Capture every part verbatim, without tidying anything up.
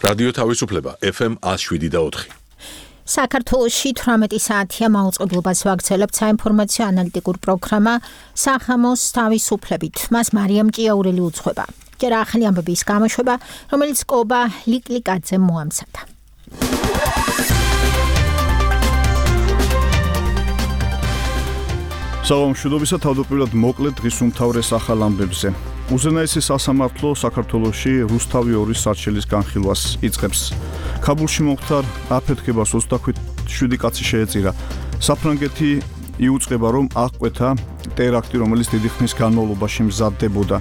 რადიო თავისუფლება ეფ ემ one oh seven და four. საქართველოში თვრამეტი საათია მაუწყებლობას ვაგრძელებთ საინფორმაციო ანალიტიკურ პროგრამა სახამოს თავისუფლებით. მას მარიამ ჭიაურელი უძღვება. ჯერ ახალი ამბების გამოშვება, რომელიც კობა ლიკლიკაძემ მოამზადა. საღამოშუდობისა თავდაპირველად მოკლედ დღის უმთავრეს ახალ ამბებზე. უზენაესი სასამართლო საქართველოში რუსთავი ორის სარჩელის განხილვას იწყებს. ქაბულში მომხდარ აფეთქებას ოცდაშვიდი კაცი შეეწირა. საფრანგეთი იუწყება, რომ აღკვეთა ტერაქტი, რომელიც დიდი ხნის განმავლობაში მზადდებოდა.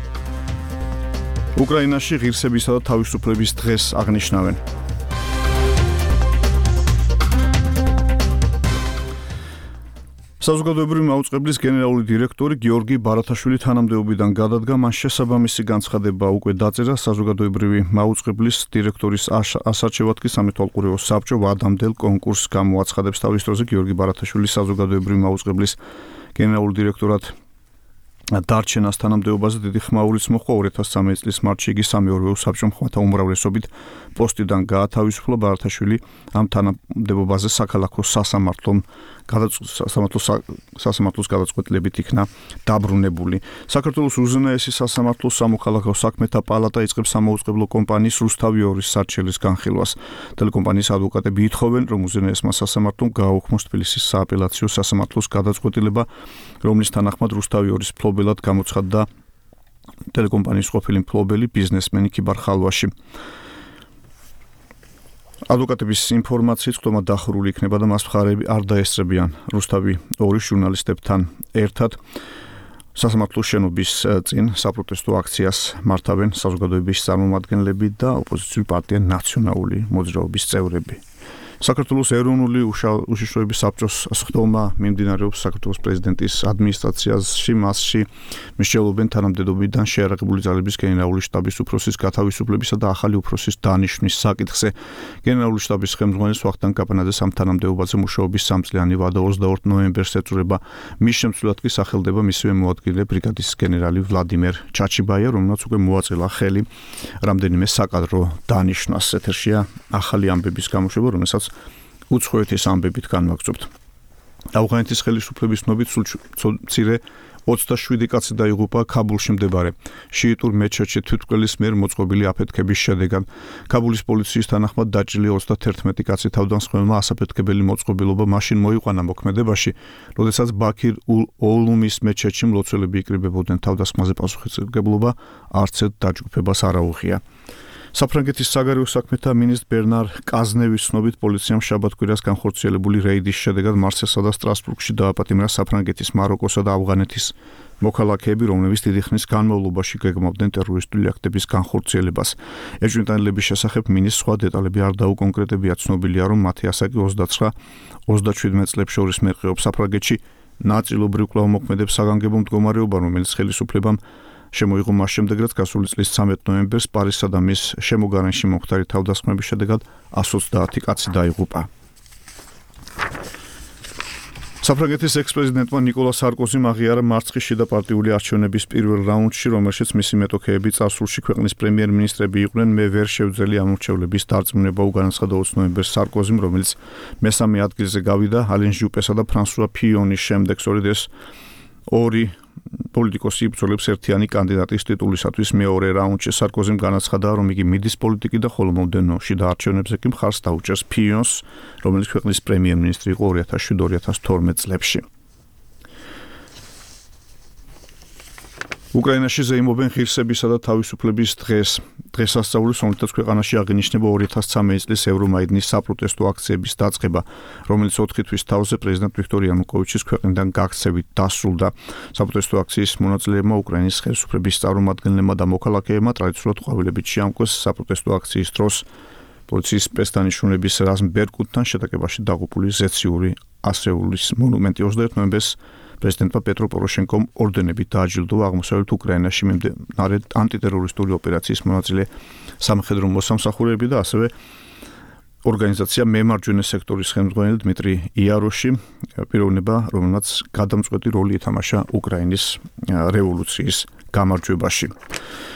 უკრაინაში ღირსებისა და თავისუფლების დღეს აღნიშნავენ. საზოგადოებრივი მაუწყებლის გენერალური დირექტორი გიორგი ბარათაშვილი თანამდებობიდან გადადგა, მან შესაბამისი განცხადება უკვე დაწერა საზოგადოებრივი მაუწყებლის დირექტორის ასარჩევად კი სამეთვალყურეო საბჭო ვადამდელ კონკურსს გამოაცხადებს. თავის დროზე გიორგი ბარათაშვილი საზოგადოებრივი მაუწყებლის გენერალურ დირექტორად დარჩენას თანამდებობაზე დიდი ხმაურიც მოჰყვა. ორი ათას ცხრამეტი წლის მარტში იგი სამეურვეო საბჭომ ხმათა უმრავლესობით პოსტიდან გაათავისუფლა. ბარათაშვილი ამ თანამდებობაზე საქალაქო სასამართლომ სასამართლოს გადაწყვეტილებით იქნა დაბრუნებული. საქართველოს უზენაესი სასამართლოს სამოქალაქო საქმეთა პალატა იწყებს სამაუწყებლო კომპანიის რუსთავი ორის სარჩელის განხილვას. ტელეკომპანიის ადვოკატები ითხოვენ, რომ უზენაესმა სასამართლომ გააუქმოს თბილისის სააპელაციო სასამართლოს გადაწყვეტილება, რომლის თანახმად რუსთავი ორის ფლობელად გამოცხადდა ტელეკომპანიის ყოფილი მფლობელი ბიზნესმენი ქიბარ ხალვაში. ადვოკატების ინფორმაციით ხტომა დახურული იქნება და მას მხარეები არ დაესწრებიან რუსთავი ორის ჟურნალისტებთან ერთად. სასამართლოს შენობის წინ საპროტესტო აქციას მართავენ საზოგადოების წარმომადგენლები და ოპოზიციური პარტია ნაციონალური მოძრაობის წევრები. საქართველოს ეროვნული უშიშროების საბჭოს ხტომა მიმდინარეობს საქართველოს პრეზიდენტის ადმინისტრაციაში, მასში მსჯელობენ თანამდებობიდან შეიარაღებული ძალების გენერალური შტაბის უფროსის გათავისუფლებისა და ახალი უფროსის დანიშვნის საკითხზე. გენერალური შტაბის ხელმძღვანელს ვახტანგ კაპანაძეს ამ თანამდებობაზე მუშაობის სამწლიანი ვადა ოცდაორ ნოემბერს ეწურება. მის შემცვლელად კი სახელდება მისივე მოადგილე ბრიგადის გენერალი ვლადიმერ ჩაჩიბაია, რომელმაც უკვე მოაწელა ხელი რამდენიმე საკადრო დანიშვნას. ეთერშია ახალი ამბების გამოშვება, რომელსაც უცხოეთის ამბებით განვაგრძობთ. ავღანეთის ხელისუფლების ცნობით სულ მცირე ოცდაშვიდი კაცი დაიღუპა ქაბულში მდებარე შიიტურ მეჩეთში თვითმკვლელის მიერ მოწყობილი აფეთქების შედეგად. ქაბულის პოლიციის თანახმად დაჭრილი ოცდათერთმეტი კაცი თავდამსხმელმა ასაფეთქებელი მოწყობილობა მაშინ მოიყვანა მოქმედებაში, როდესაც ბაქირ ოლუმის მეჩეთში მლოცველები იკრიბებოდნენ. თავდასხმაზე პასუხისმგებლობა არცერთ დაჯგუფებას არ აუღია. საფრანგეთის საგარეო საქმეთა მინისტრ ბერნარ კაზნევის ცნობით პოლიციამ შაბათ-კვირას განხორციელებული რეიდის შედეგად მარსელსა და სტრასბურგში დააპატიმრა საფრანგეთის, მაროკოსა და ავღანეთის მოქალაქეები, რომლებიც დიდი ხნის განმავლობაში გეგმავდნენ ტერორისტული აქტების განხორციელებას. ეჭვმიტანილების შესახებ მინისტრს სხვა დეტალები არ დაუკონკრეტებია. ცნობილია, რომ მათი ასაკი ოცდაცხრა ოცდაშვიდმეტ წლებს შორის მერყეობს. საფრანგეთში ნაწილობრივ კვლავ მოქმედებს საგანგებო მდგომარეობა, რომელიც ხელისუფლებამ შემოიღო მას შემდეგ, რაც გასული წლის ცამეტ ნოემბერს პარიზსა და მის შემოგარენში მომხდარი თავდასხმების შედეგად one hundred twenty კაცი დაიღუპა. საფრანგეთის ექს-პრეზიდენტმა ნიკოლა სარკოზიმ აღიარა მარცხის შიდა პარტიული არჩევნების პირველ რაუნდში, რომელშიც მისი მეტოქეები წარსულში ქვეყნის პრემიერ-მინისტრები იყვნენ. მე ვერ შევძელი ამ მრჩევლების დარწმუნება, უგანაცხადა ოცი ნოემბერს სარკოზიმ, რომელიც მესამე ადგილზე გავიდა ალენ ჟუპესა და ფრანსუა ფიონის შემდეგ. სწორედ ეს ორი პოლიტიკოსი იბრძოლებს ერთიანი კანდიდატის ტიტულისათვის მეორე რაუნდში. სარკოზიმ განაცხადა, რომ იგი მიდის პოლიტიკიდან, ხოლო მომდევნო შიდა არჩევნებზე კი მხარს დაუჭერს ფიონს, რომელიც ქვეყნის პრემიერ-მინისტრი იყო ორი ათას შვიდ ორი ათას თორმეტ წლებში. უკრაინაში ზეიმობენ ღირსებისა და თავისუფლების დღეს. დღესასწაულის, რომელთაც ქვეყანაში აღინიშნება ორი ათას ცხრამეტი წლის ევრომაიდნის საპროტესტო აქციების დაწყება, რომელიც ოთხი თვის თავზე პრეზიდენტ ვიქტორ იანუკოვიჩის ქვეყნიდან გაქცევით დასრულდა. საპროტესტო აქციის მონაწილეებმა უკრაინის ხელისუფლების წარმომადგენლებმა და მოქალაქეებმა ტრადიციულად ყვავილებით შეამკვეს. საპროტესტო აქციის დროს პოლიციის სპეცდანიშნულების რაზმ ბერკუტთან შეტაკებაში დაღუპული ზეციური ასეულის მონუმენტი. ოცდაერთი ნოემბერს პრეზიდენტმა პეტრო პოროშენკომ ორდენებით დააჯილდოვა აღმოსავლეთ უკრაინაში მიმდინარე ანტიტერორისტული ოპერაციის მონაწილე სამხედრო მოსამსახურეები და ასევე ორგანიზაცია მემარჯვენე სექტორის ხელმძღვანელი დმიტრი იაროში, პიროვნება, რომელმაც გადამწყვეტი როლი ითამაშა უკრაინის რევოლუციის გამარჯვებაში.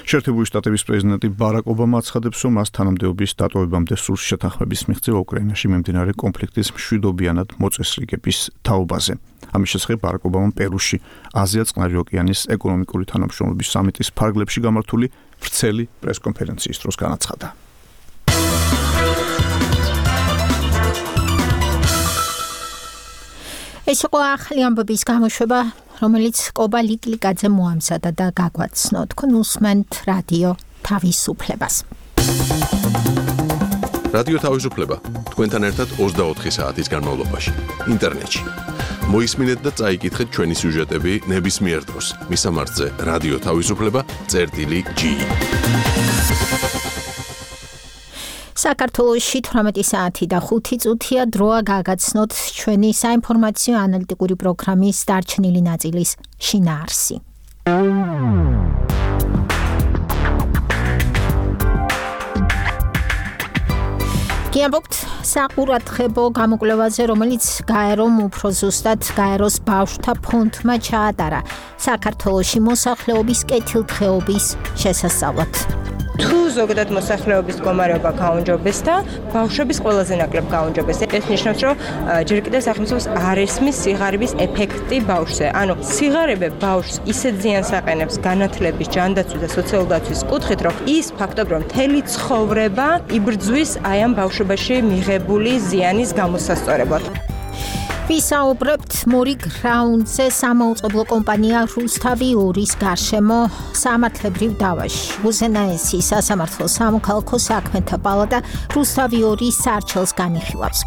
შეერთებული შტატების პრეზიდენტი ბარაკ ობამა აცხადებს, რომ მას თანამდებობის დატოვებამდე სურს შეთანხმების მიღწევა უკრაინაში მიმდინარე კონფლიქტის მშვიდობიანად მოწესრიგების თაობაზე. ამის შესახებ ბარაკ ობამამ პერუში აზია-წყნარი ოკეანის ეკონომიკური თანამშრომლობის სამიტის ფარგლებში გამართული ვრცელი პრესკონფერენციის დროს განაცხადა. ეს იყო ახალი ამბების გამოშვება, რომელიც კობა ლიკლიკაძე მოამზადა და გაგვაცნო. თქვენ უსმენთ რადიო თავისუფლებას. რადიო თავისუფლება თქვენთან ერთად ოცდაოთხი საათის განმავლობაში ინტერნეტში. მოისმინეთ და წაიკითხეთ ჩვენი სიუჟეტები ნებისმიერ დროს. მისამართზე რადიო თავისუფლება წერტილი ჯი. საქართველოში თვრამეტი საათი და ხუთი წუთია დროა გაგაცნოთ ჩვენი საინფორმაციო ანალიტიკური პროგრამის დარჩენილი ნაწილის შინაარსი. გიამბობთ საყურადღებო გამოკვლევაზე, რომელიც გაერომ უფრო ზუსტად გაეროს ბავშვთა ფონდმა ჩაატარა საქართველოში მოსახლეობის კეთილდღეობის შესასწავლად. თუ ზოგადად მოსახლეობის მდგომარეობა გაუმჯობეს და ბავშვების ყველაზე ნაკლებ გაუმჯობეს. ეს ნიშნავს, რომ ჯერ კიდევ სახელმწიფოს არ ესმის სიღარიბის ეფექტი ბავშვზე. ანუ სიღარიბე ბავშვს ისეთ ზიანს აყენებს განათლების, ჯანდაცვის და სოციალური დაცვის კუთხით, რომ ის ფაქტობრივად მთელი ცხოვრება იბრძვის აი ამ ბავშვობაში მიღებული ზიანის გამოსასწორებლად. ვისაუბრებთ მორიგ რაუნდზე სამაუწყებლო კომპანია რუსთავი ორის გარშემო სამართლებრივ დავაში. უზენაესი სასამართლო სამოქალაქო საქმეთა პალატა რუსთავი ორის სარჩელს განიხილავს.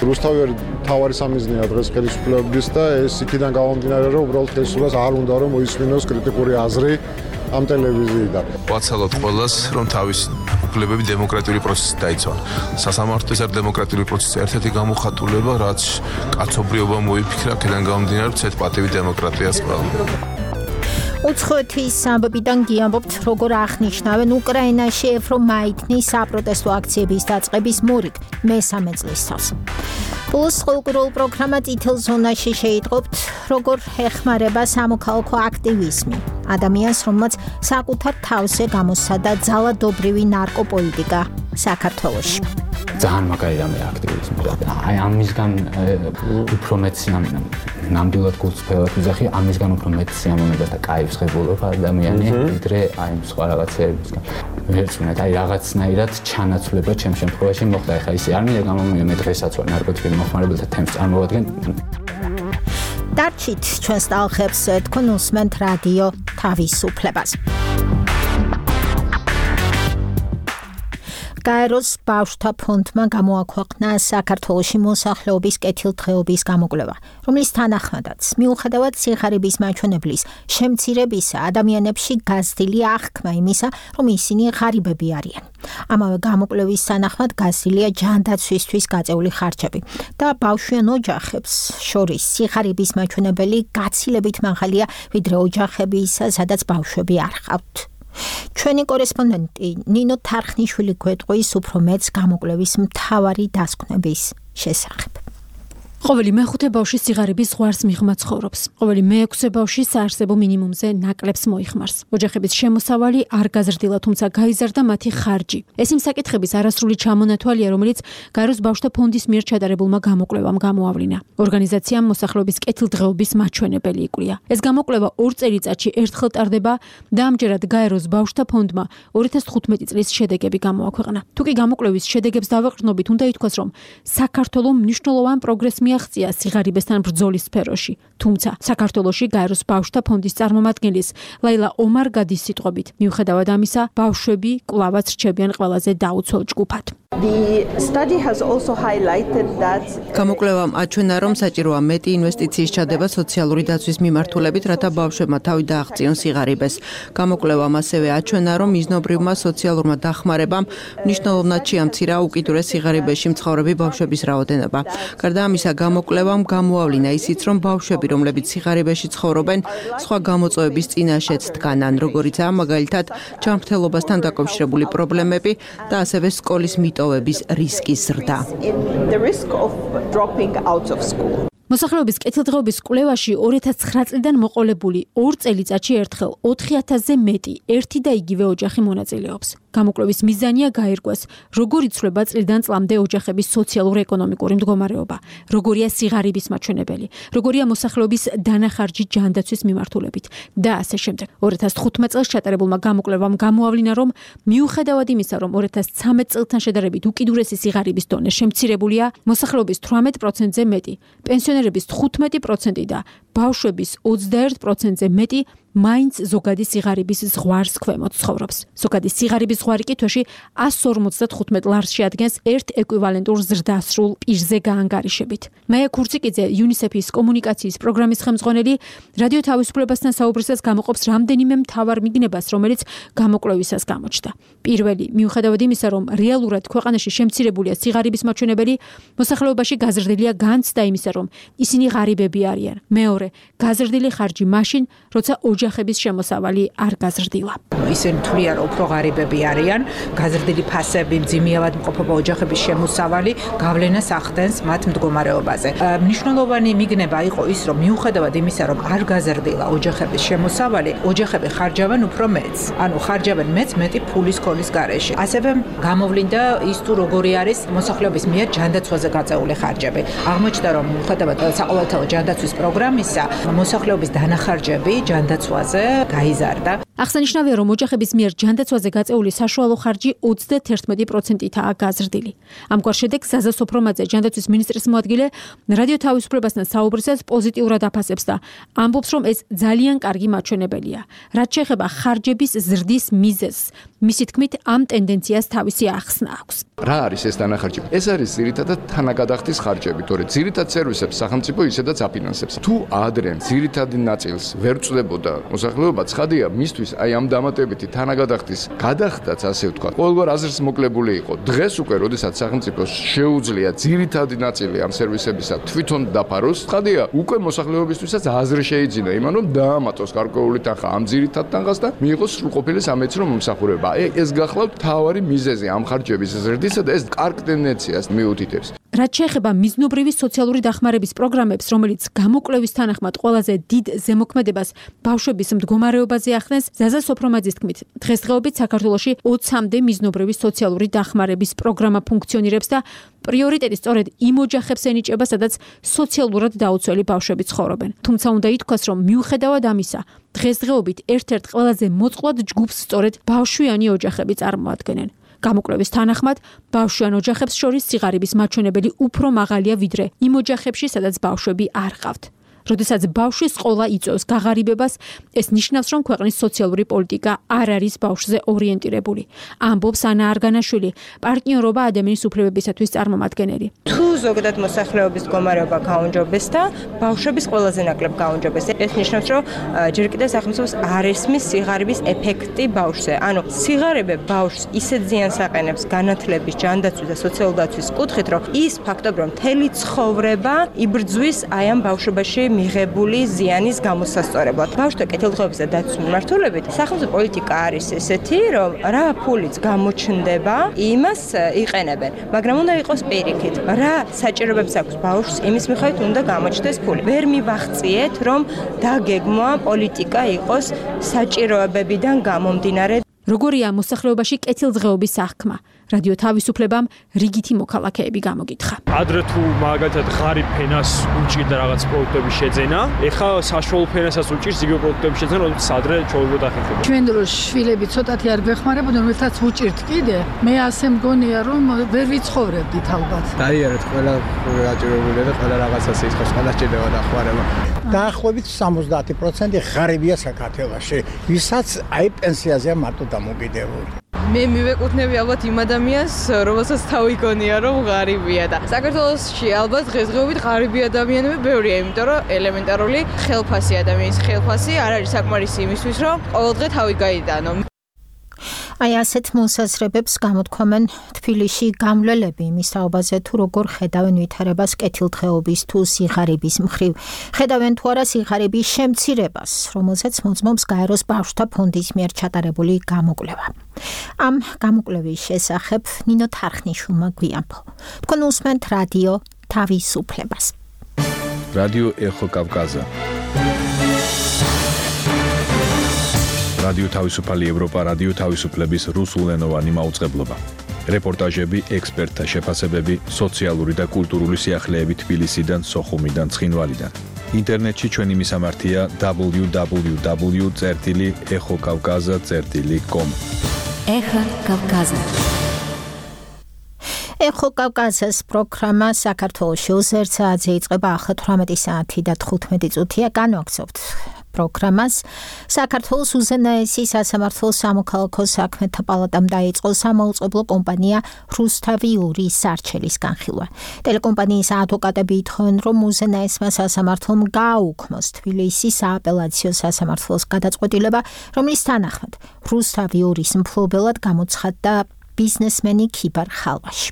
რუსთავი ორი თავარი სამიზნეა დღეს ხელისუფლების და ეს იქიდან გამომდინარე, რომ უბრალოდ ხელისუფლებას არ უნდა რომ მოისმინოს კრიტიკული აზრი ამ ტელევიზიიდან. ვაცალოთ ყველას, რომ თავის უფლებები დემოკრატიული პროცესით დაიცვან. სასამართლოს არ დემოკრატიული პროცესის ერთ-ერთი გამოხატულება, რაც კაცობრიობა მოიფიქრა, აქედან გამომდინარე, ცეთ პატივი დემოკრატიას ყველა. უცხოეთის ამბებიდან გიამბობთ, როგორ აღნიშნავენ უკრაინაში ევრომაიდნის საპროტესტო აქციების დაწყების მორიგ მესამე წლისთავს. პლუს ყოველკვირეულ პროგრამა წითელ ზონაში შეიტყობთ, როგორ ეხმარება სამოქალაქო აქტივიზმი ადამიანს, რომელმაც საკუთარ თავზე გამოსცადა ძალადობრივი ნარკოპოლიტიკა საქართველოში. ძალიან მაგარი რამე აქტივიზმი. აი ამისგან უფრო მეც ნამდვილად გულწრფელად ვიზახი, ამისგან უფრო მეც სიამოვნებას და კაიფს ღებულობ ადამიანი, ვიდრე აი სხვა რაღაცეებისგან. ვერცუნეთ, აი რაღაცნაირად ჩანაცვლება ჩემ შემთხვევაში მოხდა. ეხლა ისე არ მინდა გამომივიდე, მე დღესაც ვარ ნარკოტიკები მოხმარებელთა თემს წარმოვადგენ. დარჩით ჩვენს ტალღებს, თქვენ უსმენთ რადიო თავისუფლებას. გაეროს ბავშვთა ფონდმა გამოაქვეყნა საქართველოში მოსახლეობის კეთილდღეობის გამოკვლევა, რომლის თანახმადაც მიუხედავად სიხარიბის მაჩვენებლის შემცირებისა, ადამიანებში გაზრდილი აღქმა იმისა, რომ ისინი ღარიბები არიან. ამავე გამოკვლევის თანახმად გაზრდილია ჯანდაცვისთვის გაწეული ხარჯები და ბავშვიან ოჯახებს შორის სიხარიბის მაჩვენებელი გაცილებით მაღალია, ვიდრე ოჯახებისა, სადაც ბავშვები არ ჰყავთ. ჩვენი კორესპონდენტი ნინო თარხნიშვილი გვეტყვის უფრო მეც გამოკვლევის მთავარი დასკვნების შესახებ. ყოველი მეხუთე ბავშვი სიღარიბის ზღვარს მიღმა ცხოვრობს. ყოველი მეექვსე ბავშვი საარსებო მინიმუმზე ნაკლებს მოიხმარს. ოჯახების შემოსავალი არ გაზრდილა, თუმცა გაიზარდა მათი ხარჯი. ეს იმ საკითხების არასრული ჩამონათვალია, რომელიც გაეროს ბავშვთა ფონდის მიერ ჩატარებულმა გამოკვლევამ გამოავლინა. ორგანიზაციამ მოსახლეობის კეთილდღეობის მაჩვენებელი იკვლია. ეს გამოკვლევა ორ წელიწადში ერთხელ ტარდება და ამჯერად გაეროს ბავშვთა ფონდმა ორი ათას თხუთმეტი წლის შედეგები გამოაქვეყნა. თუკი გამოკვლევის შედეგებს დავეყრდნობით, უნდა ითქვას, რომ საქართველო მნიშვნელოვან პროგრესს მიაღწია სიღარიბესთან ბრძოლის სფეროში. თუმცა საქართველოში გაეროს ბავშვთა ფონდის წარმომადგენლის ლაილა ომარგადის სიტყვებით, მიუხედავად ამისა, ბავშვები კვლავაც რჩებიან ყველაზე დაუცველ ჯგუფად. გამოკვლევამ აჩვენა, რომ საჭიროა მეტი ინვესტიციის ჩადება სოციალური დაცვის მიმართულებით, რათა ბავშვებმა თავი დააღწიონ სიღარიბეს. გამოკვლევამ ასევე აჩვენა, რომ მიზნობრივმა სოციალურმა დახმარებამ მნიშვნელოვნად შეამცირა უკიდურეს სიღარიბეში მცხოვრები ბავშვების რაოდენობა. გარდა ამისა, გამოკვლევამ გამოავლინა ისიც, რომ ბავშვები, რომლებიც სიღარიბეში ცხოვრობენ, სხვა გამოწვევების წინაშეც დგანან, როგორიცაა მაგალითად ჯანმრთელობასთან დაკავშირებული პრობლემები და ასევე სკოლის მიტოვების რისკის ზრდა. მოსახლეობის კეთილდღეობის კვლევაში ორი ათას ცხრა წლიდან მოყოლებული ორ წელიწადში ერთხელ ოთხი ათასზე მეტი ერთი და იგივე ოჯახი მონაწილეობს. გამოკვლევის მიზანია გაირკვეს, როგორ იცვლება წლიდან წლამდე ოჯახების სოციალურ-ეკონომიკური მდგომარეობა, როგორია სიღარიბის მაჩვენებელი, როგორია მოსახლეობის დანახარჯი ჯანდაცვის მიმართულებით და ასე შემდეგ. ორი ათას თხუთმეტ წელს ჩატარებულმა გამოკვლევამ გამოავლინა, რომ მიუხედავად იმისა, რომ ორი ათას ცხრამეტ წელთან შედარებით უკიდურესი სიღარიბის დონე შემცირებულია, მოსახლეობის თვრამეტ პროცენტზე მეტი, პენსიონერების თხუთმეტი პროცენტი და ბავშვების ოცდაერთ პროცენტზე მეტი მაინც ზოგადი სიღარიბის ზღვარს ქვემოთ ცხოვრობს. ზოგადი სიღარიბის ზღვარი კი თვეში εκατს ორმოცდათხუთმეტ ლარს შეადგენს ერთ ეკვივალენტურ ზრდასრულ პირზე გაანგარიშებით. მაია ქურციკიძე, იუნისეფის კომუნიკაციის პროგრამის ხელმძღვანელი, რადიო თავისუფლებასთან საუბრისას გამოყოფს რამდენიმე მთავარ მიგნებას, რომელიც გამოკვლევისას გამოჩნდა. პირველი, მიუხედავად იმისა, რომ რეალურად ქვეყანაში შემცირებულია სიღარიბის მაჩვენებელი, მოსახლეობაში გაზრდილია განცდა იმისა, რომ ისინი ღარიბები არიან. მეორე, გაზრდილი ხარჯი მაშინ, როცა ოჯახების შემოსავალი არ გაზრდილა. ისინი თვლიან, რომ უფრო ღარიბები არიან, გაზრდილი ფასები, მძიმეავად მყოფობა ოჯახების შემოსავალი გავლენას ახდენს მათ მდგომარეობაზე. მნიშვნელოვანი მიგნება იყო ის, რომ მიუხედავად იმისა, რომ არ გაზრდილა ოჯახების შემოსავალი, ოჯახები ხარჯავენ უფრო მეც. ანუ ხარჯავენ მეც მეტი ფულის ქოლის გარეშე. ასევე გამოვლინდა ის თუ როგორი არის მოსახლეობის მიერ ჯანდაცვაზე გაწეული ხარჯები. აღმოჩნდა, რომ მიუხედავად საყოველთაო ჯანდაცვის პროგრამისა, მოსახლეობის დანახარჯები ჯანდაცვაზე გაიზარდა. აღსანიშნავია, რომ ოჯახების მიერ ჯანდაცვაზე გაწეული საშუალო ხარჯი ოცდათერთმეტი პროცენტითაა გაზრდილი. ამგვარ შედეგს ზაზა სოფრომაძე, ჯანდაცვის მინისტრის მოადგილე, რადიო თავისუფლებასთან საუბრისას პოზიტიურად აფასებს და ამბობს, რომ ეს ძალიან კარგი მაჩვენებელია. რაც შეეხება ხარჯების ზრდის მიზეზს, მისი თქმით, ამ ტენდენციას თავისი ახსნა აქვს. რა არის ეს დანახარჯი? ეს არის ძირითადად თანაგადახდის ხარჯები, თორე ძირითად სერვისებს სახელმწიფო ისედაც აფინანსებს. თუ ადრე ძირითადი ნაწილს ვერ წვდებოდა მოსახლეობა, ცხადია, მისთვის აი ამ დამატებითი თანაგადახდის გადახდაც, ასე ვთქვათ, ყოველგვარ აზრს მოკლებული იყო. დღეს უკვე, როდესაც სახელმწიფოს შეუძლია ძირითადი ნაწილი ამ სერვისებისა თვითონ დაფაროს, ცხადია, უკვე მოსახლეობისთვისაც აზრი შეიძინა იმან, რომ დაამატოს გარკვეული თანხა ამ ძირითად თანხას და მიიღოს სრულყოფილი სამედიცინო მომსახურება. ეს გახლავთ მთავარი მიზეზი ამ ხარჯების ზრდისა და ეს კარგ ტენდენციას მიუთითებს. რაც შეეხება მიზნობრივი სოციალური დახმარების პროგრამებს, რომელიც გამოკვლევის თანახმად ყველაზე დიდ ზემოქმედებას ბავშვების მდგომარეობაზე ახდენს, ზაზა სოფრომაძის თქმით, დღესდღეობით საქართველოში ოცამდე მიზნობრივი სოციალური დახმარების პროგრამა ფუნქციონირებს და პრიორიტეტი სწორედ იმ ოჯახებს ენიჭება, სადაც სოციალურად დაუცველი ბავშვები ცხოვრობენ. თუმცა უნდა ითქვას, რომ მიუხედავად ამისა, დღესდღეობით ერთ-ერთ ყველაზე მოწყვლად ჯგუფს სწორედ ბავშვიანი ოჯახები წარმოადგენენ. გამოკვლევის თანახმად, ბავშვიან ოჯახებს შორის სიღარიბის მაჩვენებელი უფრო მაღალია ვიდრე იმ ოჯახებში, სადაც ბავშვები არ ყავთ. როდესაც ბავშვის ყოლა იწვევს გაღარიბებას, ეს ნიშნავს, რომ ქვეყნის სოციალური პოლიტიკა არ არის ბავშვზე ორიენტირებული. ამბობს ანა არგანაშვილი, პარტნიორობა ადამიანის უფლებებისათვის წარმომადგენელი. თუ ზოგადად მოსახლეობის მდგომარეობა გაუნჯობეს და ბავშვების ყველაზე ნაკლებ გაუნჯობეს, ეს ნიშნავს, რომ ჯერ კიდევ სახელმწიფოს არ ესმის სიღარიბის ეფექტი ბავშვზე. ანუ სიღარიბე ბავშვს ისეთ ზიანს აყენებს განათლების, ჯანდაცვის და სოციალურ დაცვის კუთხით, რომ ის ფაქტობრივად მთელი ცხოვრება იბრძვის აი ამ ბავშვობაში მიღებული ზიანის გამოსასწორებლად. ბავშვთა კეთილდღეობის და დაცვის მიმართულებით სახელმწიფო პოლიტიკა არის ესეთი, რომ რა ფულიც გამოჩნდება, იმას იყენებენ, მაგრამ უნდა იყოს პირიქით. რა საჭიროებებს აქვს ბავშვს, იმის მიხედვით უნდა გამოჩნდეს ფული. ვერ მივახციეთ, რომ დაგეგმვა პოლიტიკა იყოს საჭიროებებიდან გამომდინარე. როგორია მოსახლეობაში კეთილდღეობის აღქმა? რადიო თავისუფლებამ რიგითი მოქალაქეები გამოგითხა. ადრე თუ მაგალითად ღარიბ ფენას უჭირდა რაღაც პროდუქტების შეძენა, ეხლა საშუალო ფენასაც უჭირს იგივე პროდუქტების შეძენა, როდესაც ადრე ჩაუბრუნდა ახერხებოდა. ჩვენ დროს შვილები ცოტათი არ გვეხმარებოდნენ, რომელთაც უჭირთ კიდე. მე ასე მგონია, რომ ვერ ვიცხოვრებდით ალბათ. დაიარეთ, ყველა გაჭირებულია და ყველა რაღაცას იხავს, ყველა სჭირდება დახმარება. დაახლოებით სამოცდაათი პროცენტი ღარიბია საქართველოში, ვისაც აი პენსიაზეა მარტო დამოკიდებული. მე მივეკუთვნები ალბათ იმ ადამიანს, რომელსაც თავი გონია, რომ ღარიბია და საქართველოში ალბათ დღესდღეობით ღარიბი ადამიანები ბევრია, იმიტომ რომ ელემენტარული ხელფასი ადამიანის ხელფასი არ არის საკმარისი იმისთვის, რომ ყოველდღე თავი გაიტანო. აი ასეთ მოსაზრებებს გამოთქვამენ თბილისში გამვლელები იმის თაობაზე თუ როგორ ხედავენ ვითარებას კეთილდღეობის თუ სიღარიბის მხრივ. ხედავენ თუ არა სიღარიბის შემცირებას, რომელზეც მოწმობს გაეროს ბავშვთა ფონდის მიერ ჩატარებული გამოკვლევა. ამ გამოკვლევის შესახებ ნინო თარხნიშვილმა გვიამბო. თქვენ უსმენთ რადიო თავისუფლებას. რადიო ეხო კავკაზა. რადიო თავისუფალი ევროპა, რადიო თავისუფლების რუსულენოვანი მაუწყებლობა. რეპორტაჟები, ექსპერტთა შეფასებები, სოციალური და კულტურული სიახლეები თბილისიდან, სოხუმიდან, ცხინვალიდან. ინტერნეტში ჩვენი მისამართია დაბლიუ დაბლიუ დაბლიუ წერტილი ეხო კავკაზა წერტილი კომ. ეხო კავკაზა. ეხო კავკაზას პროგრამა საქართველოში ოცდაერთ საათზე იწყება, ახლა თვრამეტი საათი და თხუთმეტი წუთია განვაგრძობთ. პროგრამას საქართველოს უზენაესი სასამართლო სამოქალაქო საქმეთა პალატამ დაიწყო სამაუწყებლო კომპანია რუსთავი ორი სარჩელის განხილვა. ტელეკომპანიის ადვოკატები ითხოვენ, რომ უზენაესმა სასამართლომ გააუქმოს თბილისის სააპელაციო სასამართლოს გადაწყვეტილება, რომლის თანახმად რუსთავი ორის მფლობელად გამოცხადდა ბიზნესმენი ქიბარ ხალვაში.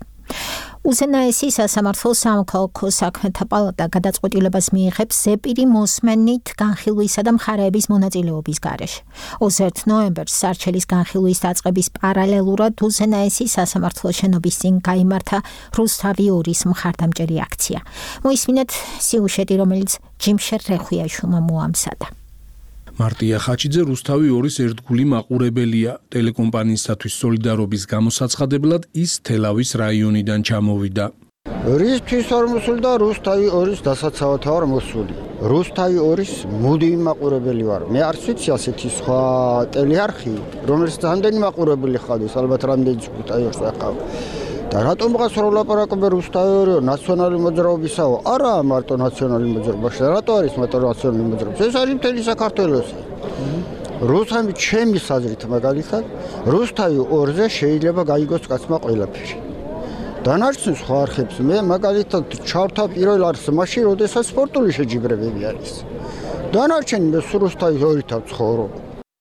უზენაესი სასამართლო სამოქალაქო საქმეთა პალატა გადაწყვეტილებას მიიღებს ზეპირი მოსმენით განხილვისა და მხარეების მონაწილეობის გარეშე. ოცდაერთ ნოემბერს სარჩელის განხილვის დაწყების პარალელურად უზენაესი სასამართლო შენობის წინ გაიმართა რუსთავი ორის მხარდამჭერი აქცია. მოისმინეთ სიუჟეტი, რომელიც ჯიმშერ რეხვიაშვილმა მოამზადა. მარტია ხაჩიძე რუსთავი ორის ერთგული მაყურებელია. ტელეკომპანიისათვის სოლიდარობის გამოსაცხადებლად ის თელავის რაიონიდან ჩამოვიდა. რისთვის არ მოსულდა რუსთავი ორის დასაცავად ვარ მოსული. რუსთავი ორის მუდმივი მაყურებელი ვარ. მე არც ვიცი ასეთი სხვა ტელეარხი, რომელიც რამდენი მაყურებელი ხარდეს, ალბათ რამდენი ჯგუფი აქვს ახლა. და რატომ გას როლაპარაკობენ რუსთავი ორი ნაციონალური მოძრაობისაო? არა მარტო ნაციონალური მოძრაობაში. რატო არის მარტო ნაციონალური მოძრაობა? ეს არის მთელი საქართველოს. რუსთავი ჩემი საზრით მაგალითად რუსთავი ორზე შეიძლება გაიგოს კაცმა ყველაფერი. დანარჩენ სხვა არხებს მე მაგალითად ჩავთა პირველ არხს მაშინ, როდესაც სპორტული შეჯიბრებები არის. დანარჩენი მე რუსთავი ორითა ვცხოვრობ.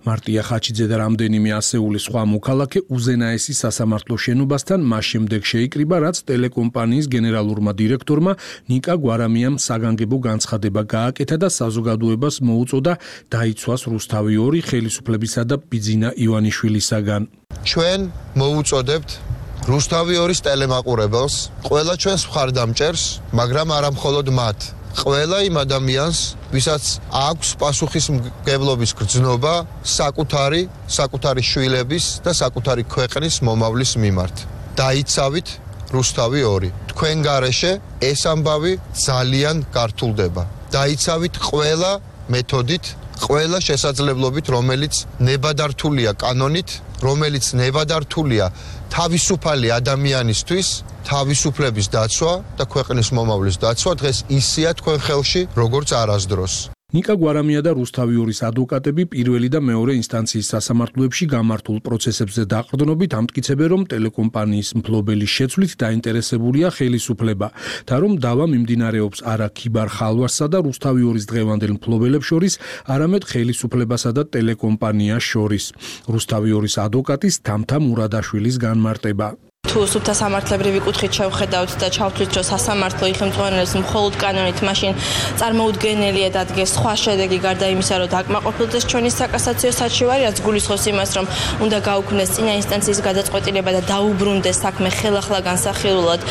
მარტია ხაჩიძე და რამდენიმე ასეული სხვა მოქალაქე უზენაესი სასამართლო შენობასთან მას შემდეგ შეიკრიბა, რაც ტელეკომპანიის გენერალურმა დირექტორმა ნიკა გვარამიამ საგანგებო განცხადება გააკეთა და საზოგადოებას მოუწოდა დაიცვას რუსთავი ორი ხელისუფლებისა და ბიძინა ივანიშვილისაგან. ჩვენ მოუწოდებთ რუსთავი ორის ტელემაყურებელს, ყველა ჩვენს მხარდამჭერს, მაგრამ არა მხოლოდ მათ. ყველა იმ ადამიანს, ვისაც აქვს პასუხისმგებლობის გრძნობა საკუთარი, საკუთარი შვილების და საკუთარი ქვეყნის მომავლის მიმართ. დაიცავით რუსთავი ორი. თქვენ გარეშე ეს ამბავი ძალიან გართულდება. დაიცავით ყველა მეთოდით, ყველა შესაძლებლობით, რომელიც ნებადართულია კანონით, რომელიც ნებადართულია თავისუფალი ადამიანისთვის, თავისუფლების დაცვა და ქვეყნის მომავლის დაცვა დღეს ისია თქვენ ხელში, როგორც არასდროს. ნიკა გვარამია და რუსთავი ორის ადვოკატები პირველი და მეორე ინსტანციის სასამართლოებში გამართულ პროცესებზე დაყრდნობით ამტკიცებენ, რომ ტელეკომპანიის მფლობელის შეცვლით დაინტერესებულია ხელისუფლება და რომ დავა მიმდინარეობს არა ქიბარ ხალვასსა და რუსთავი ორის დღევანდელ მფლობელებს შორის, არამედ ხელისუფლებასა და ტელეკომპანიას შორის. რუსთავი ორის ადვოკატის თამთა მურადაშვილის განმარტება. თუ სუფთა სამართლებრივი კუთხით შევხედავთ და ჩავთვლით, რომ სასამართლო იხელმძღვანელებს მხოლოდ კანონით, მაშინ წარმოუდგენელია დადგეს სხვა შედეგი გარდა იმისა, რომ დაკმაყოფილდეს ჩვენი საკასაციო საჩივარი, რაც გულისხმობს იმას, რომ უნდა გაუქმდეს წინა ინსტანციის გადაწყვეტილება და დაუბრუნდეს საქმე ხელახლა განსახილულად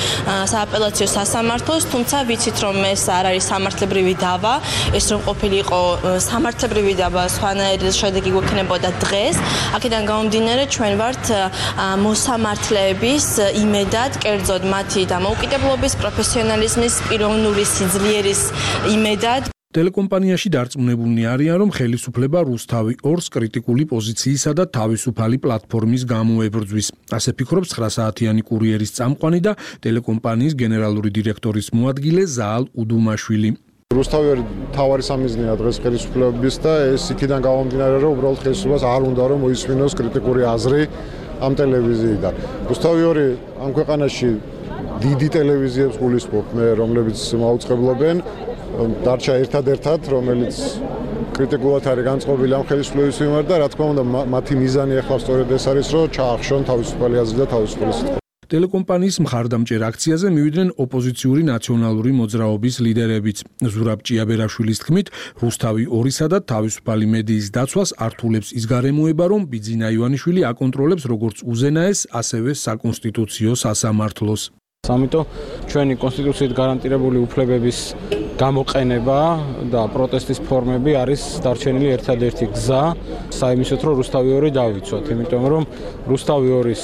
სააპელაციო სასამართლოს, თუმცა ვიცით, რომ ეს არ არის სამართლებრივი დავა, ეს რომ ყოფილიყო სამართლებრივი დავა, სხვანაირი შედეგი გვექნებოდა დღეს. აქედან გამომდინარე, ჩვენ ვართ მოსამართლეების იმედად, კერძოდ მათი დამოუკიდებლობის, პროფესიონალიზმის, პიროვნული სიძლიერის იმედად. ტელეკომპანიაში დარწმუნებულნი არიან, რომ ხელისუფლება რუსთავი ორს კრიტიკული პოზიციისა და თავისუფალი პლატფორმის გამო ებრძვის. ასე ფიქრობს ცხრა საათიანი კურიერის წამყვანი და ტელეკომპანიის გენერალური დირექტორის მოადგილე ზაალ უდუმაშვილი. რუსთავი ორი თავარი სამიზნეა დღეს ხელისუფლების და ეს იქიდან გამომდინარე, რომ უბრალოდ ხელისუფლებას არ უნდა რომ მოისმინოს კრიტიკული აზრი ამ ტელევიზიიდან. რუსთავი ორი ამ ქვეყანაში დიდი ტელევიზიებს გულისხმობ მე, რომლებიც მაუწყებლობენ, დარჩა ერთადერთად, რომელიც კრიტიკულად არის განწყობილი ამ ხელისუფლების მიმართ და რა თქმა უნდა მათი მიზანი ახლა სწორედ ეს არის, რომ ჩაახშონ თავისუფალი აზრი და თავისუფალი სიტყვა. ტელეკომპანიის მხარდამჭერ აქციაზე მივიდნენ ოპოზიციური ნაციონალური მოძრაობის ლიდერებიც. ზურაბ ჭიაბერაშვილის თქმით, რუსთავი ორისა და თავისუფალი მედიის დაცვას ართულებს ის გარემოება, რომ ბიძინა ივანიშვილი აკონტროლებს როგორც უზენაეს, ასევე საკონსტიტუციო სასამართლოს. ამიტომ ჩვენი კონსტიტუციით გარანტირებული უფლებების გამოყენება და პროტესტის ფორმები არის დარჩენილი ერთადერთი გზა საიმისოთ, რომ რუსთავი ორი დავიცვათ, იმიტომ რომ რუსთავი ორის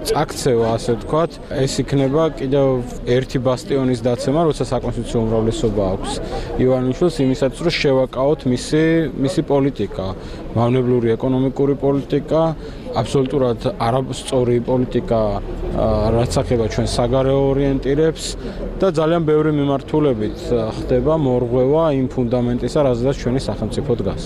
წაქცევა, ასე ვთქვათ, ეს იქნება კიდევ ერთი ბასტიონის დაცემა, როცა საკონსტიტუციო უმრავლესობა აქვს ივანიშვილს იმისათვის, რომ შევაკავოთ მისი მისი პოლიტიკა, მავნებლური ეკონომიკური პოლიტიკა, აბსოლუტურად არასწორი პოლიტიკა, რაც ახება ჩვენ საგარეო ორიენტირებს და ძალიან ბევრი მიმართულებით ხდება მორღვევა იმ ფუნდამენტისა, რაზეც ჩვენი სახელმწიფო დგას.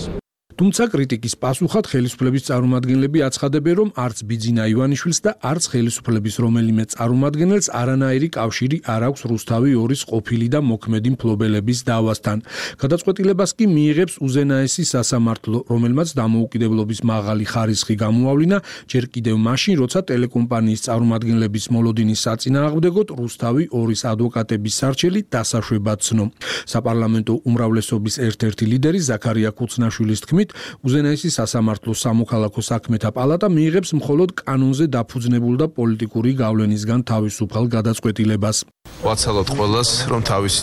თუმცა კრიტიკის პასუხად ხელისუფლების წარმომადგენლები აცხადებენ, რომ არც ბიძინა ივანიშვილს და არც ხელისუფლების რომელიმე წარმომადგენელს არანაირი კავშირი არ აქვს რუსთავი ორის ყოფილი და მოქმედი მფლობელების დავასთან. გადაწყვეტილებას კი მიიღებს უზენაესი სასამართლო, რომელმაც დამოუკიდებლობის მაღალი ხარისხი გამოავლინა ჯერ კიდევ მაშინ, როცა ტელეკომპანიის წარმომადგენლების მოლოდინის საწინააღმდეგოდ რუსთავი ორის ადვოკატების სარჩელი დასაშვებად ცნო. საპარლამენტო უმრავლესობის ერთ-ერთი ლიდერი ზაქარია ქუცნაშვილის თქმით, უზენაესი სასამართლოს სამოქალაქო საქმეთა პალატა მიიღებს მხოლოდ კანონზე დაფუძნებულ და პოლიტიკური გავლენისგან თავისუფალ გადაწყვეტილებას. ვაცალოთ ყველას, რომ თავის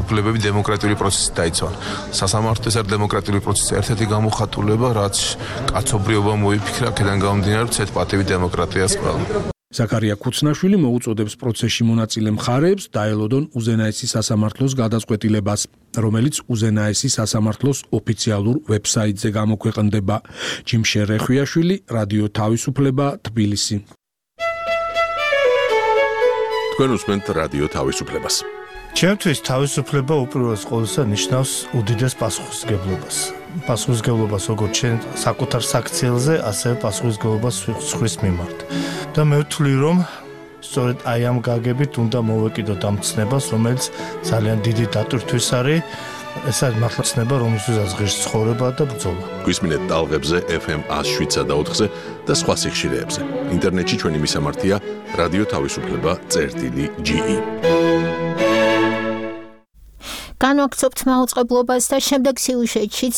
უფლებები დემოკრატიული პროცესით დაიცვან. სასამართლო ეს არის დემოკრატიული პროცესის ერთ-ერთი გამოხატულება, რაც კაცობრიობა მოიფიქრა, აქედან გამომდინარე, ცეთ პატივი დემოკრატიას ყველა. ზაქარია ქუცნაშვილი მოუწოდებს პროცესში მონაწილე მხარეებს დაელოდონ უზენაესი სასამართლოს გადაწყვეტილებას, რომელიც უზენაესი სასამართლოს ოფიციალურ ვებსაიტზე გამოქვეყნდება. ჯიმშე რეხვიაშვილი, რადიო თავისუფლება, თბილისი. თქვენ უსმენთ რადიო თავისუფლებას. ჩემთვის თავისუფლება უპირველეს ყოვლისა ნიშნავს უდიდეს პასუხისმგებლობას. პასუხისმგებლობას როგორც ჩვენ საკუთარ საქციელზე, ასევე პასუხისმგებლობას სხვის მიმართ. და მე ვთვლი, რომ სწორედ აი ამ გაგებით უნდა მოვეკიდოთ ამ ცნებას, რომელიც ძალიან დიდი დატვირთვის არის. ეს არის მართლა ცნება, რომელსაც ღირს ცხოვრება და ბრძოლა. გვისმინეთ ტალღებზე ეფ ემ one oh seven და ოთხზე და სხვა სიხშირეებზე. ინტერნეტში ჩვენი მისამართია რადიო თავისუფლება წერტილი ჯი ი. განვაგრძობთ მაუწყებლობას და შემდეგ სიუჟეტშიც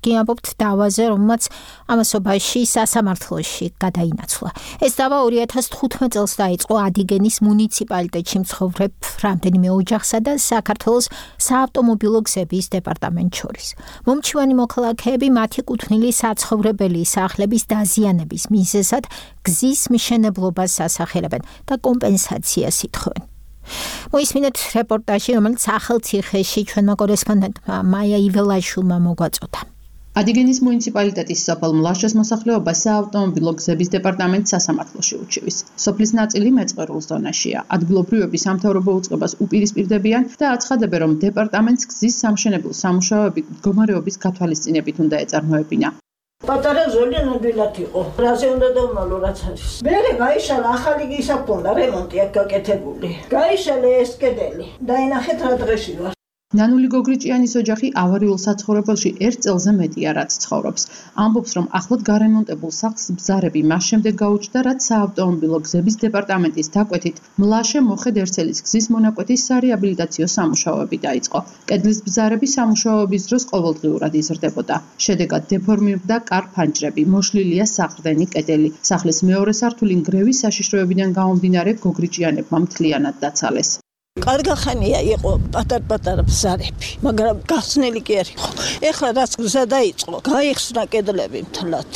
გიამბობთ დავაზე, რომელმაც ამასობაში სასამართლოში გადაინაცვლა. ეს დავა ორი ათას თხუთმეტ წელს დაიწყო ადიგენის მუნიციპალიტეტში მცხოვრებ რამდენიმე ოჯახსა და საქართველოს საავტომობილო გზების დეპარტამენტს შორის. მომჩივანი მოქალაქეები მათი კუთვნილი საცხოვრებელი სახლების დაზიანების მიზეზად გზის მშენებლობას ასახელებენ და კომპენსაციას ითხოვენ. მოისმინეთ რეპორტაჟი, რომელიც ახალციხეში ჩვენმა კორესპონდენტმა მაია იველაშვილმა მოგვაწოდა. ადიგენის მუნიციპალიტეტის სოფელ მლაშეს მოსახლეობა საავტომობილო გზების დეპარტამენტს სასამართლოში ურჩევის. სოფლის ნაწილი მეწყერულ ზონაშია. ადგილობრივები სამთავრობო უწყებას უპირისპირდებიან და აცხადებენ, რომ დეპარტამენტს გზის სამშენებლო სამუშაოები მდგომარეობის გათვალისწინებით უნდა ეწარმოებინა. პატარა ზოლი ნამდვილად იყო. რაზე უნდა დავმალო რაც არის. მერე გაიშალა ახალი გისაფონდა რემონტი აქ გაკეთებული. გაიშალა ეს კედელი. დაინახეთ რა დღეში ვარ. ნანული გოგრიჭიანის ოჯახი ავარიულ საცხოვრებელში ერთ წელზე მეტია რაც ცხოვრობს. ამბობს, რომ ახლად გარემონტებულ სახლს ბზარები მას შემდეგ გაუჩნდა, რაც საავტომობილო გზების დეპარტამენტის დაკვეთით მლაშე მოხედ ერცელის გზის მონაკვეთის სარეაბილიტაციო სამუშაოები დაიწყო. კედლის ბზარები სამუშაოების დროს ყოველდღიურად იზრდებოდა. შედეგად დეფორმირდა კარ-ფანჯრები, მოშლილია საყრდენი კედელი. სახლის მეორე სართული ნგრევის საშიშროებიდან გამომდინარე გოგრიჭიანებმა მთლიანად დაცალეს. კარგახანია იყო პატარ-პატარა ბზარები, მაგრამ გახსნელი კი არ იყო. ეხლა რაც გზა დაიწყო, გაიხსნა კედლები მთლად.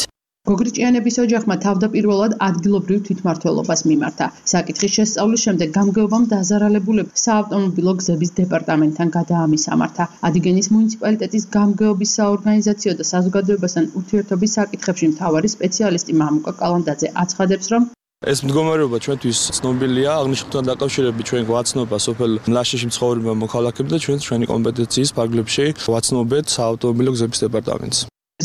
გოგრიჭიანების ოჯახმა თავდაპირველად ადგილობრივ თვითმმართველობას მიმართა. საკითხის შესწავლის შემდეგ გამგეობამ დაზარალებულებს საავტომობილო გზების დეპარტამენტთან გადაამისამართა. ადიგენის მუნიციპალიტეტის გამგეობის საორგანიზაციო და საზოგადოებასთან ურთიერთობის საკითხებში მთავარი სპეციალისტი მამუკა კალანდაძე აცხადებს, რომ ეს მდგომარეობა ჩვენთვის ცნობილია, აღნიშნულთან დაკავშირებით ჩვენ გვაცნობა სოფელ მლაშეში მცხოვრებმა მოქალაქეებმა და ჩვენ ჩვენი კომპეტენციის ფარგლებში ვაცნობეთ საავტომობილო გზების დეპარტამენტს.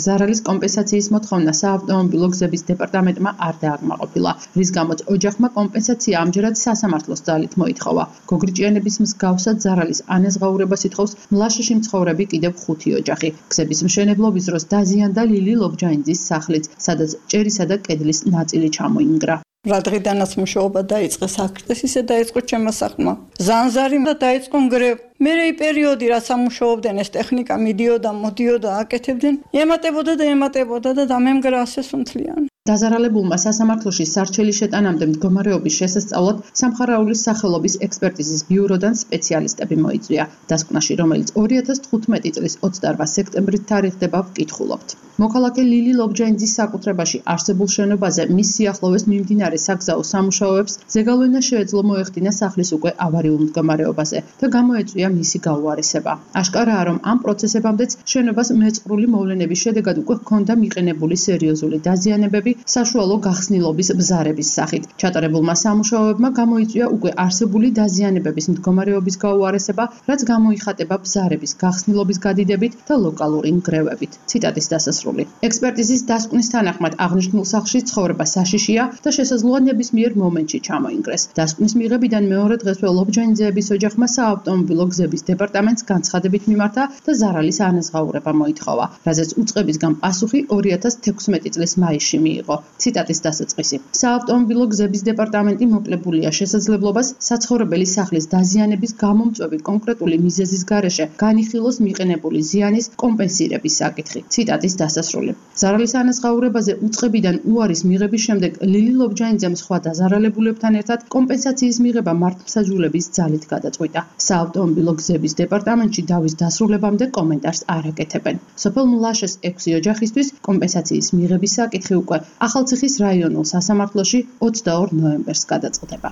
ზარალის კომპენსაციის მოთხოვნა საავტომობილო გზების დეპარტამენტმა არ დააკმაყოფილა, რის გამოც ოჯახმა კომპენსაცია ამჯერად სასამართლოს ძალით მოითხოვა. გოგრიჭიანების მსგავსად ზარალის ანაზღაურებას ითხოვს მლაშეში მცხოვრები კიდევ ხუთი ოჯახი. გზების მშენებლობის დროს დაზიანდა ლილი ლობჯაინძის სახლიც, სადაც ჭერისა და კედლის ნაწილი ჩამოინგრა. რა დღიდანაც მუშაობა დაიწყეს აქრეს, ისე დაიწყო ჩემმა სახლმა. ზანზარი და დაიწყო ნგრევ. მერე პერიოდი რაც ამუშაობდნენ ეს ტექნიკა მიდიოდა, მოდიოდა, აკეთებდნენ, ემატებოდა და ემატებოდა და დამემგრა ასე სუნთლიანი. დაზარალებულმა სასამართლოში სარჩელი შეტანამდე მდგომარეობის შესასწავლად სამხარაულის სახელობის ექსპერტიზის ბიუროდან სპეციალისტები მოიწვია. დასკვნაში, რომელიც ორი ათას თხუთმეტი წლის ოცდაორ სექტემბრით თარიღდება, ვკითხულობთ. მოქალაქე ლილი ლობჯაინძის საკუთრებაში არსებულ შენობაზე მის სიახლოვეს მიმდინარე საგზაო სამუშაოებს ზეგავლენა შეეძლო მოეხდინა სახლის უკვე ავარიულ მდგომარეობაზე და გამოეწვია მისი გაუარესება. აშკარაა, რომ ამ პროცესებამდეც შენობას მეწყრული მოვლენების შედეგად უკვე ჰქონდა მიყენებული სერიოზული დაზიანებები საშუალო გახსნილობის ბზარების სახით. ჩატარებულმა სამუშაოებმა გამოიწვია უკვე არსებული დაზიანებების მდგომარეობის გაუარესება, რაც გამოიხატება ბზარების გახსნილობის გადიდებით და ლოკალური ნგრევებით. ციტატის დასასრული. ექსპერტიზის დასკვნის თანახმად აღნიშნულ სახლში ცხოვრება საშიშია და შესაძლოა ნებისმიერ მომენტში ჩამოინგრეს. დასკვნის მიღებიდან მეორე დღესვე ლობჯაინძეების ოჯახმა საავტომობილო გზების დეპარტამენტს განცხადებით მიმართა და ზარალის ანაზღაურება მოითხოვა, რაზეც უწყებისგან პასუხი ორი ათას თექვსმეტი წლის მაისში მიიღო. ციტატის დასაწყისი. საავტომობილო გზების დეპარტამენტი მოკლებულია შესაძლებლობას საცხოვრებელი სახლის დაზიანების გამომწვევი კონკრეტული მიზეზის გარეშე განიხილოს მიყენებული ზიანის კომპენსირების საკითხი. ციტატის დასასრული. ზარალის ანაზღაურებაზე უწყებიდან უარის მიღების შემდეგ ლილი ლობჯაინძემ სხვა დაზარალებულებთან ერთად კომპენსაციის მიღება მართლმსაჯულების ძალით გადაწყვიტა. საავტომობილო გზების დეპარტამენტში დავის დასრულებამდე კომენტარს არ აკეთებენ. სოფელ მლაშეს ექვსი ოჯახისთვის კომპენსაციის მიღების საკითხი უკვე ახალციხის რაიონულ სასამართლოში ოცდაორ ნოემბერს გადაწყდება.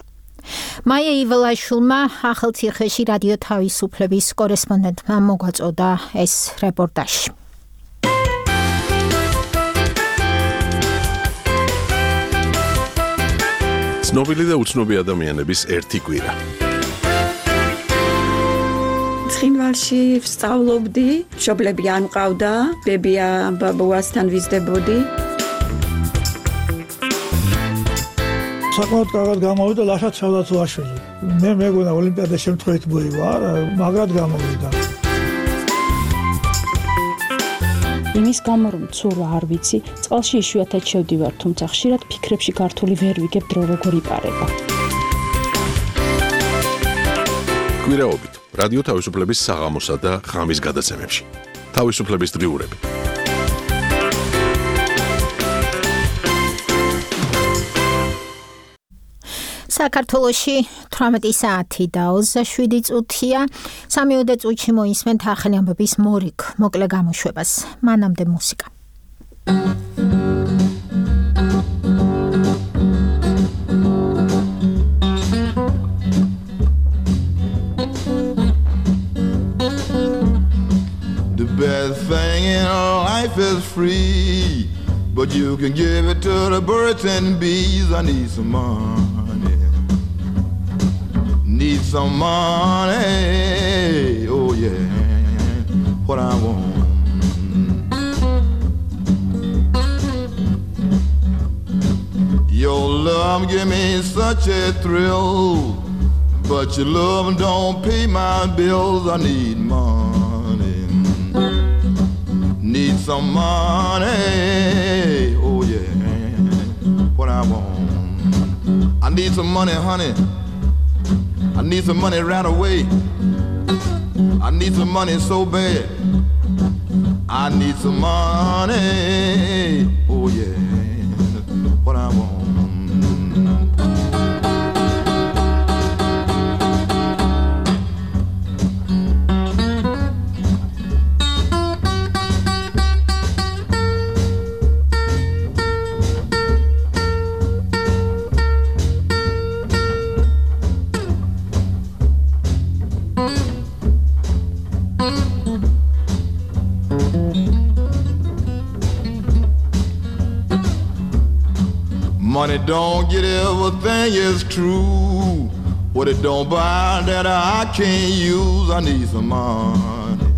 მაია იველაშვილმა ახალციხეში რადიო თავისუფლების კორესპონდენტმა მოგვაწოდა ეს რეპორტაჟი. ცნობილი და უცნობი ადამიანების ერთი კვირა. ცხინვალში ვსწავლობდი, მშობლები არ მყავდა, ბებია ბაბუასთან ვიზრდებოდი. საკმაოდ კარგად გამოვიდა ლაშა ცალათუაშვილი. მე მეგონა ოლიმპიადა შემთხვევით მოივა, მაგრად გამოვიდა. იმის გამო რომ ცურვა არ ვიცი, წყალში იშვიათად შევდივარ, თუმცა ხშირად ფიქრებში გართული ვერ ვიგებ დრო როგორ იპარება. კვირაობით რადიო თავისუფლების საღამოსა და ღამის გადაცემებში. თავისუფლების დღიურები. საქართველოში თვრამეტი საათი და ოცდაშვიდი წუთია. სამიოდე წუთში მოისმენთ ახალი ამბების მორიგ მოკლე გამოშვებას. მანამდე მუსიკა. The best thing in life is free, but you can give it to the birds and bees. I need some money. Need some money, oh yeah, what I want. Your love give me such a thrill, but your love don't pay my bills. I need money, need some money, oh yeah, what I want. I need some money, honey. I need some money right away. I need some money so bad. I need some money. Oh yeah, what I want. Money don't get everything is true. What it don't buy that I can't use. I need some money.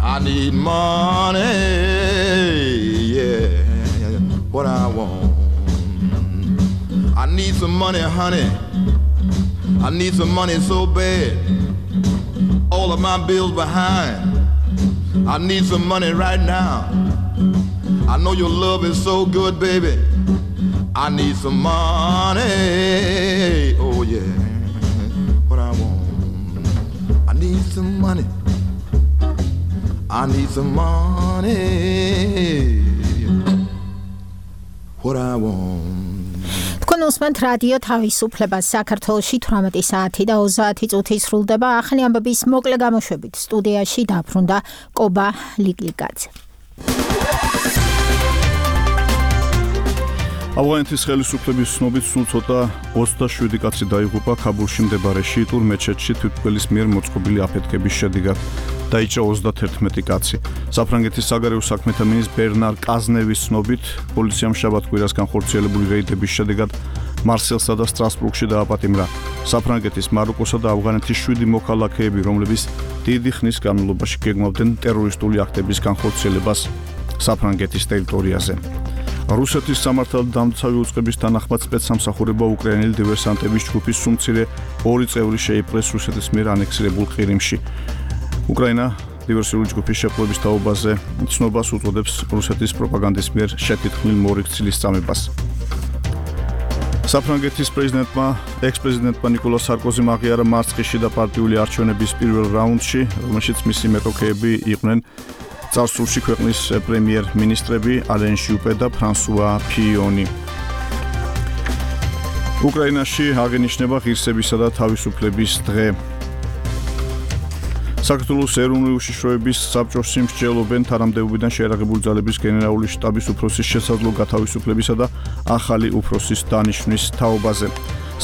I I need money, yeah, what I want. I need some money, honey. I need some money so bad. All of my bills behind. I need some money right now. I know your love is so good, baby. I need some money, oh yeah, what I want. I need some money. I need some money. What I want. თქვენ უსმენთ რადიო თავისუფლებას საქართველოში თვრამეტი საათი და ოცდაათი წუთი სრულდება ახალი ამბების მოკლე გამოშვებით სტუდიაში დაბრუნდა კობა ლიკლიკაძე. ავღანეთის ხელისუფლების ცნობით სულ ცოტა ოცდაშვიდი კაცი დაიღუპა ქაბულში მდებარე შიიტურ მეჩეთში თვითმკვლელის მიერ მოწყობილი აფეთქების შედეგად. დაიჭრა ოცდათერთმეტი კაცი. საფრანგეთის საგარეო საქმეთა მინისტრ ბერნარ კაზნევის ცნობით პოლიციამ შაბათ-კვირას განხორციელებული რეიდების შედეგად მარსელსა და სტრასბურგში დააპატიმრა საფრანგეთის, მაროკოსა და ავღანეთის შვიდი მოქალაქეები, რომლებიც დიდი ხნის განმავლობაში გეგმავდნენ ტერორისტული აქტების განხორციელებას საფრანგეთის ტერიტორიაზე. რუსეთის სამართალდამცავი უწყების თანახმად სპეცსამსახურება უკრაინელი დივერსანტების ჯგუფის სუმცირე ორი წევრი შეიპყრეს რუსეთის მიერ ანექსირებულ ყირიმში. უკრაინა დივერსიული ჯგუფის შეპყრობის თაობაზე ცნობას უწოდებს რუსეთის პროპაგანდის მიერ შეთქმულ მორიქცილის წამებას. საფრანგეთის პრეზიდენტმა, ექს-პრეზიდენტმა ნიკოლას სარკოზიმ აღიარა მარცხიში და პარტიული არჩევნების პირველ რაუნდში, რომელშიც მისი მეტოქეები იყვნენ წარსულში ქვეყნის პრემიერ-მინისტრები ალენ ჟუპე და ფრანსუა ფიონი. უკრაინაში აღინიშნება ღირსებისა და თავისუფლების დღე. საქართველოს ეროვნული უშიშროების საბჭოს სიმსჯელობენ თანამდებობიდან შეერაღებული ძალების გენერალური შტაბის უფროსის შესაძლო გათავისუფლებისა და ახალი უფროსის დანიშვნის თაობაზე.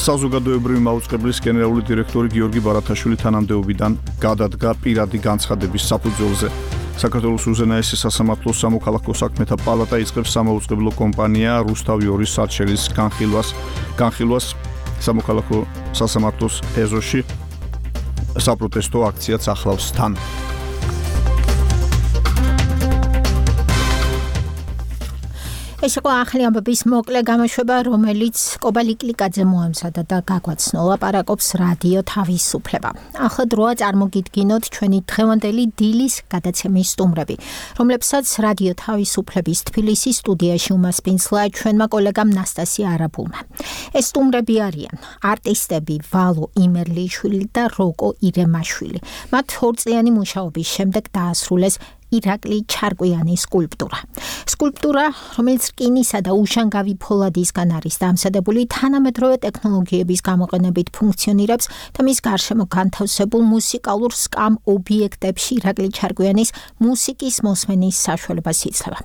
საზოგადოებრივი მაუწყებლის გენერალური დირექტორი გიორგი ბარათაშვილი თანამდებობიდან გადადგა პირადი განცხადების საფუძველზე. საქართველოს უზენაესი სასამართლო სამოქალაქო საქმეთა პალატა იწყებს სამაუწყებლო კომპანია რუსთავი ორის სარჩელის განხილვას. განხილვას სამოქალაქო სასამართლოს ეზოში საპროტესტო აქციაც ახლავს თან. ეს იყო ახალი ამბების მოკლე გამოშვება, რომელიც კობა ლიკლიკაძე მოამზადა და გაგვაცნო ლაპარაკობს რადიო თავისუფლება. ახლა დროა წარმოგიდგინოთ ჩვენი დღევანდელი დილის გადაცემის სტუმრები, რომლებსაც რადიო თავისუფლების თბილისის სტუდიაში უმასპინძლა ჩვენმა კოლეგამ ნასტასია არაბულმა. ეს სტუმრები არიან არტისტები ვალო იმერლიშვილი და როკო ირემაშვილი. მათ ორწლიანი მუშაობის შემდეგ დაასრულეს ირაკლი ჩარკვიანის სკულპტურა. სკულპტურა, რომელიც რკინისა და უშანგავი ფოლადისგან არის დამზადებული, თანამედროვე ტექნოლოგიების გამოყენებით ფუნქციონირებს და მის გარშემო განთავსებულ მუსიკალურ სკამ ობიექტებში ირაკლი ჩარკვიანის მუსიკის მოსმენის საშუალებას იძლევა.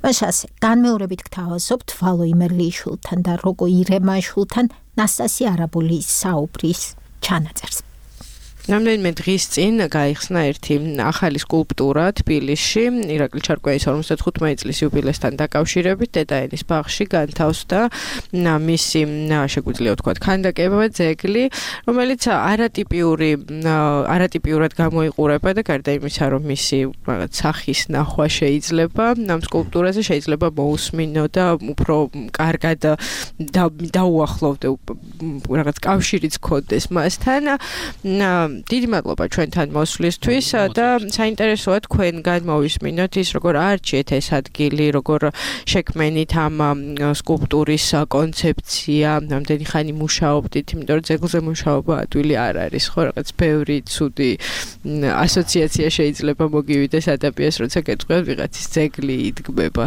მას ასე განმეორებით გთავაზობთ ვალო იმერლიშვილთან და როკო ირემაშვილთან ნასტასია არაბულის საუბრის ჩანაწერს. რამდენიმე დღის წინ გაიხსნა ერთი ახალი სკულპტურა თბილისში ირაკლი ჩარკვიანის ორმოცდახუთმეტი წლის იუბილესთან დაკავშირებით დედაენის ბაღში განთავსდა მისი შეგვიძლია ვთქვათ ქანდაკება ძეგლი, რომელიც არატიპიური არატიპიურად გამოიყურება და გარდა იმისა, რომ მისი რაღაც სახის ნახვა შეიძლება, ამ სკულპტურაზე შეიძლება მოусმინო და უფრო კარგად დაუახლოვდე რაღაც კავშირიც გქონდეს მასთან. დიდი მადლობა ჩვენთან მოსვლისთვის და საინტერესოა თქვენგან მოვისმინოთ ის როგორ არჩიეთ ეს ადგილი, როგორ შექმენით ამ სკულპტურის კონცეფცია, რამდენი ხანი მუშაობდით, იმიტომ რომ ძეგლზე მუშაობა ადვილი არ არის, ხო, რაღაც ბევრი ცუდი ასოციაცია შეიძლება მოგივიდეს ადამიანს, როცა გეტყვიათ ვიღაცის ძეგლი იდგმება.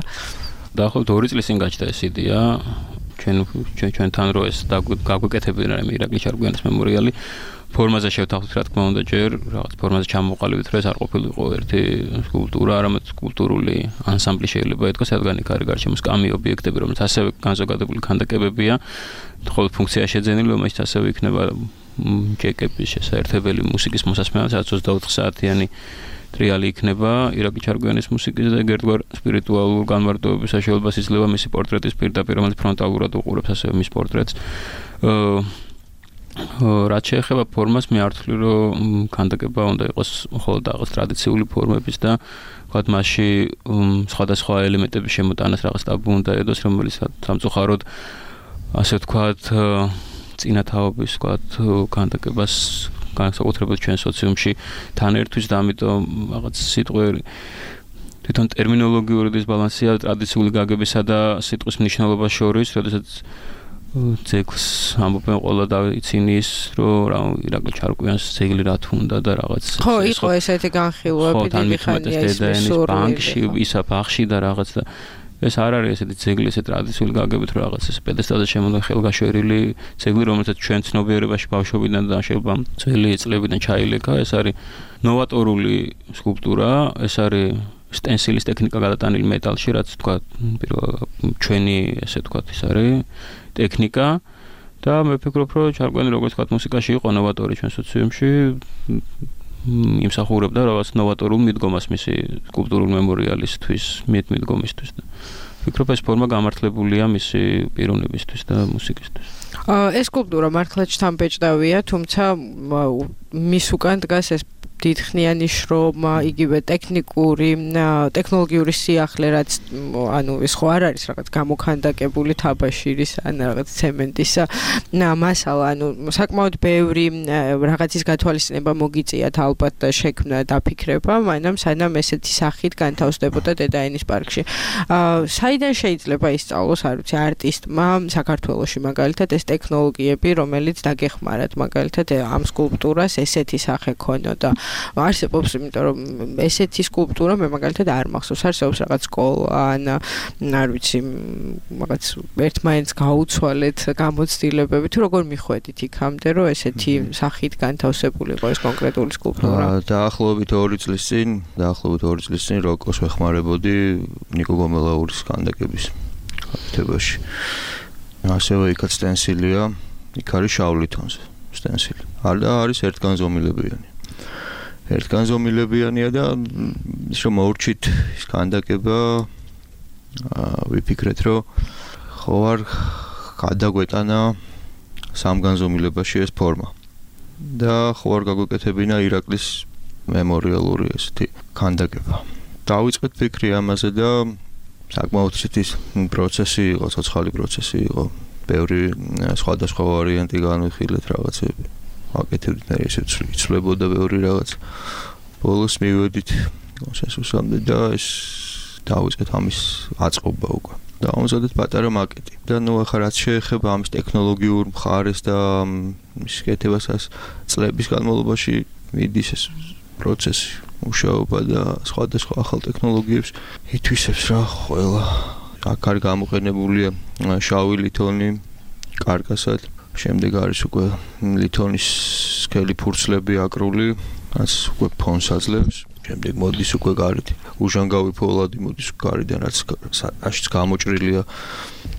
დაახლოებით ორი წლის წინ გაჩნდა ეს იდეა, ჩვენ ჩვენთან რო ეს გაგვეკეთებინა რამე ირაკლი ჩარკვიანის მემორიალი. ფორმაზე შევთანხმდით, რა თქმა უნდა, ჯერ რაღაც ფორმაზე ჩამოყალიბეთ, რომ ეს არ ყოფილიყო ერთი სკულპტურა, არამედ სკულპტურული ანსამბლი შეიძლება ითქვას, რადგან იქ არის გარშემო სკამი ობიექტები, რომელიც ასევე განზოგადებული ქანდაკებებია, ხოლო ფუნქცია შეძენილი, რომელიც ასევე იქნება ჯეკების შესაერთებელი მუსიკის მოსასმენად, სადაც ოცდაოთხ საათიანი ტრიალი იქნება ირაკლი ჩარკვიანის მუსიკის და ერთგვარ სპირიტუალურ განმარტოების საშუალებას იძლევა მისი პორტრეტის პირდაპირ, რომელიც ფრონტალურად უყურებს ასევე მის პორტრეტს. რაც შეეხება ფორმას, მე არ ვთვლი, რომ ქანდაკება უნდა იყოს მხოლოდ რაღაც ტრადიციული ფორმების და ვთქვათ, მასში სხვადასხვა ელემენტების შემოტანას რაღაც ტაბუ უნდა ედოს, რომელიც სამწუხაროდ ასე ვთქვათ, წინათაობის ვთქვათ, ქანდაკებას განსაკუთრებით ჩვენ სოციუმში თან ერთვის და ამიტომ რაღაც სიტყვები თვითონ ტერმინოლოგიური დისბალანსია ტრადიციული გაგებისა და სიტყვის მნიშვნელობას შორის, როდესაც ძეგლს ამბობენ ყველა დავიცინის, რომ რა ირაკლი ჩარკვიანს ძეგლი რა თუნდა და რაღაც ხო, იყო ესეთი განხილვები დიდი ხანია ის ბანკში, ისა ბაღში და რაღაც და ეს არ არის ესეთი ძეგლი, ესეთი ტრადიციული გაგებით, რომ რაღაც ეს პედესტალზე შემოდან ხელგაშვერილი ძეგლი, რომელსაც ჩვენ ცნობიერებაში ბავშვობიდან და შეიძლება ძველი წლებიდან ჩაილეკა, ეს არის ნოვატორული სკულპტურა, ეს არის სტენსილის ტექნიკა გადატანილი მეტალში, რაც თქვა, ჩვენი ესე თქვა, ის არის ტექნიკა და მე ვფიქრობ, რომ ჩარკვიანი როგორც თქვა, მუსიკაში იყო ნოვატორი ჩვენ სოციუმში, იმსახურებდა რაღაც ნოვატორულ მიდგომას მისი სკულპტურული მემორიალისთვის, მიდგომისთვის და ვფიქრობ, ეს ფორმა გამართლებულია მისი პიროვნებისთვის და მუსიკისთვის. ეს სკულპტურა მართლაც შთამბეჭდავია, თუმცა მის უკან დგას ეს დიდხნიანი შრომა, იგივე ტექნიკური, ტექნოლოგიური სიახლე, რაც ანუ ეს ხო არ არის რაღაც გამოქანდაკებული თაბაშირის ან რაღაც ცემენტის მასალა, ანუ საკმაოდ ბევრი რაღაცის გათვალისწინება მოგიწიათ ალბათ და შექმნა დაფიქრება, მაგრამ სანამ ესეთი სახით განთავსდებოდა დედაენის პარკში. საიდან შეიძლება ისწავლოს, არ ვიცი, არტისტმა საქართველოში მაგალითად ეს ტექნოლოგიები, რომელიც დაგეხმარათ მაგალითად ამ სკულპტურას ესეთი სახე ქონოდა. არსებობს, იმიტომ რომ ესეთი სკულპტურა მე მაგალითად არ მახსოვს, არსებობს რაღაც სკოლა ან არ ვიცი, რაღაც ერთმანეთს გაუცვალეთ გამოცდილებები, თუ როგორ მიხვედით იქამდე, რომ ესეთი სახით განთავსებული იყო ეს კონკრეტული სკულპტურა? დაახლოებით ორი წლის წინ, დაახლოებით ორი წლის წინ როკოს ვეხმარებოდი ნიკო გომელაურის ქანდაკების ხარჯებაში. ასევე იქაც სტენსილია, იქ არის შავ ლითონზე სტენსილი. არის ერთგანზომილებიანი. ერთგანზომილებიანია და ის რომ მოურჩით ის ქანდაკება ვიფიქრეთ, რომ ხო არ გადაგვეტანა სამგანზომილებაში ეს ფორმა და ხო არ გაგვეკეთებინა ირაკლის მემორიალური ესეთი ქანდაკება. დავიწყეთ ფიქრი ამაზე და საკმაოდ ისეთი პროცესი იყო, ცოცხალი პროცესი იყო. ბევრი სხვადასხვა ვარიანტი განვიხილეთ რაღაცები. აკეთებდით მე ესე ცვლებოდა ბევრი რაღაც. ბოლოს მივედით კონსენსუსამდე და ეს დავიწყეთ ამის აწყობა უკვე. დავამზადეთ პატარა მაკეტი. და ნუ ახლა რაც შეეხება ამის ტექნოლოგიურ მხარეს და მის კეთებასაც წლების განმავლობაში მიდის ეს პროცესი, მუშაობა და სხვადასხვა ახალ ტექნოლოგიებს ითვისებს რა ყველა. აქ არის გამოყენებულია შავი ლითონი კარკასად. შემდეგ არის უკვე ლითონის სქელი ფურცლები აკრული, რაც უკვე ფონს აძლევს. შემდეგ მოდის უკვე გარეთ უჟანგავი ფოლადი მოდის გარედან, რაც აშიც გამოჭრილია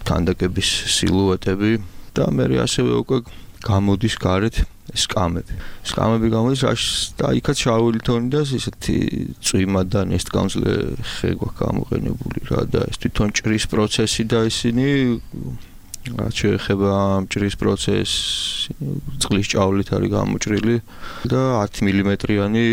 ქანდაკების სილუეტები და მე ასევე უკვე გამოდის გარეთ სკამები. სკამები გამოდის და იქაც შავი ლითონი და ესეთი წვიმა და ნესტგამძლე ხე გვაქვს გამოყენებული რა და ეს თვითონ ჭრის პროცესი და ისინი რაც შეეხება ჭრის პროცესს, წყლის ჭავლით არის გამოჭრილი და ათი მილიმეტრიანი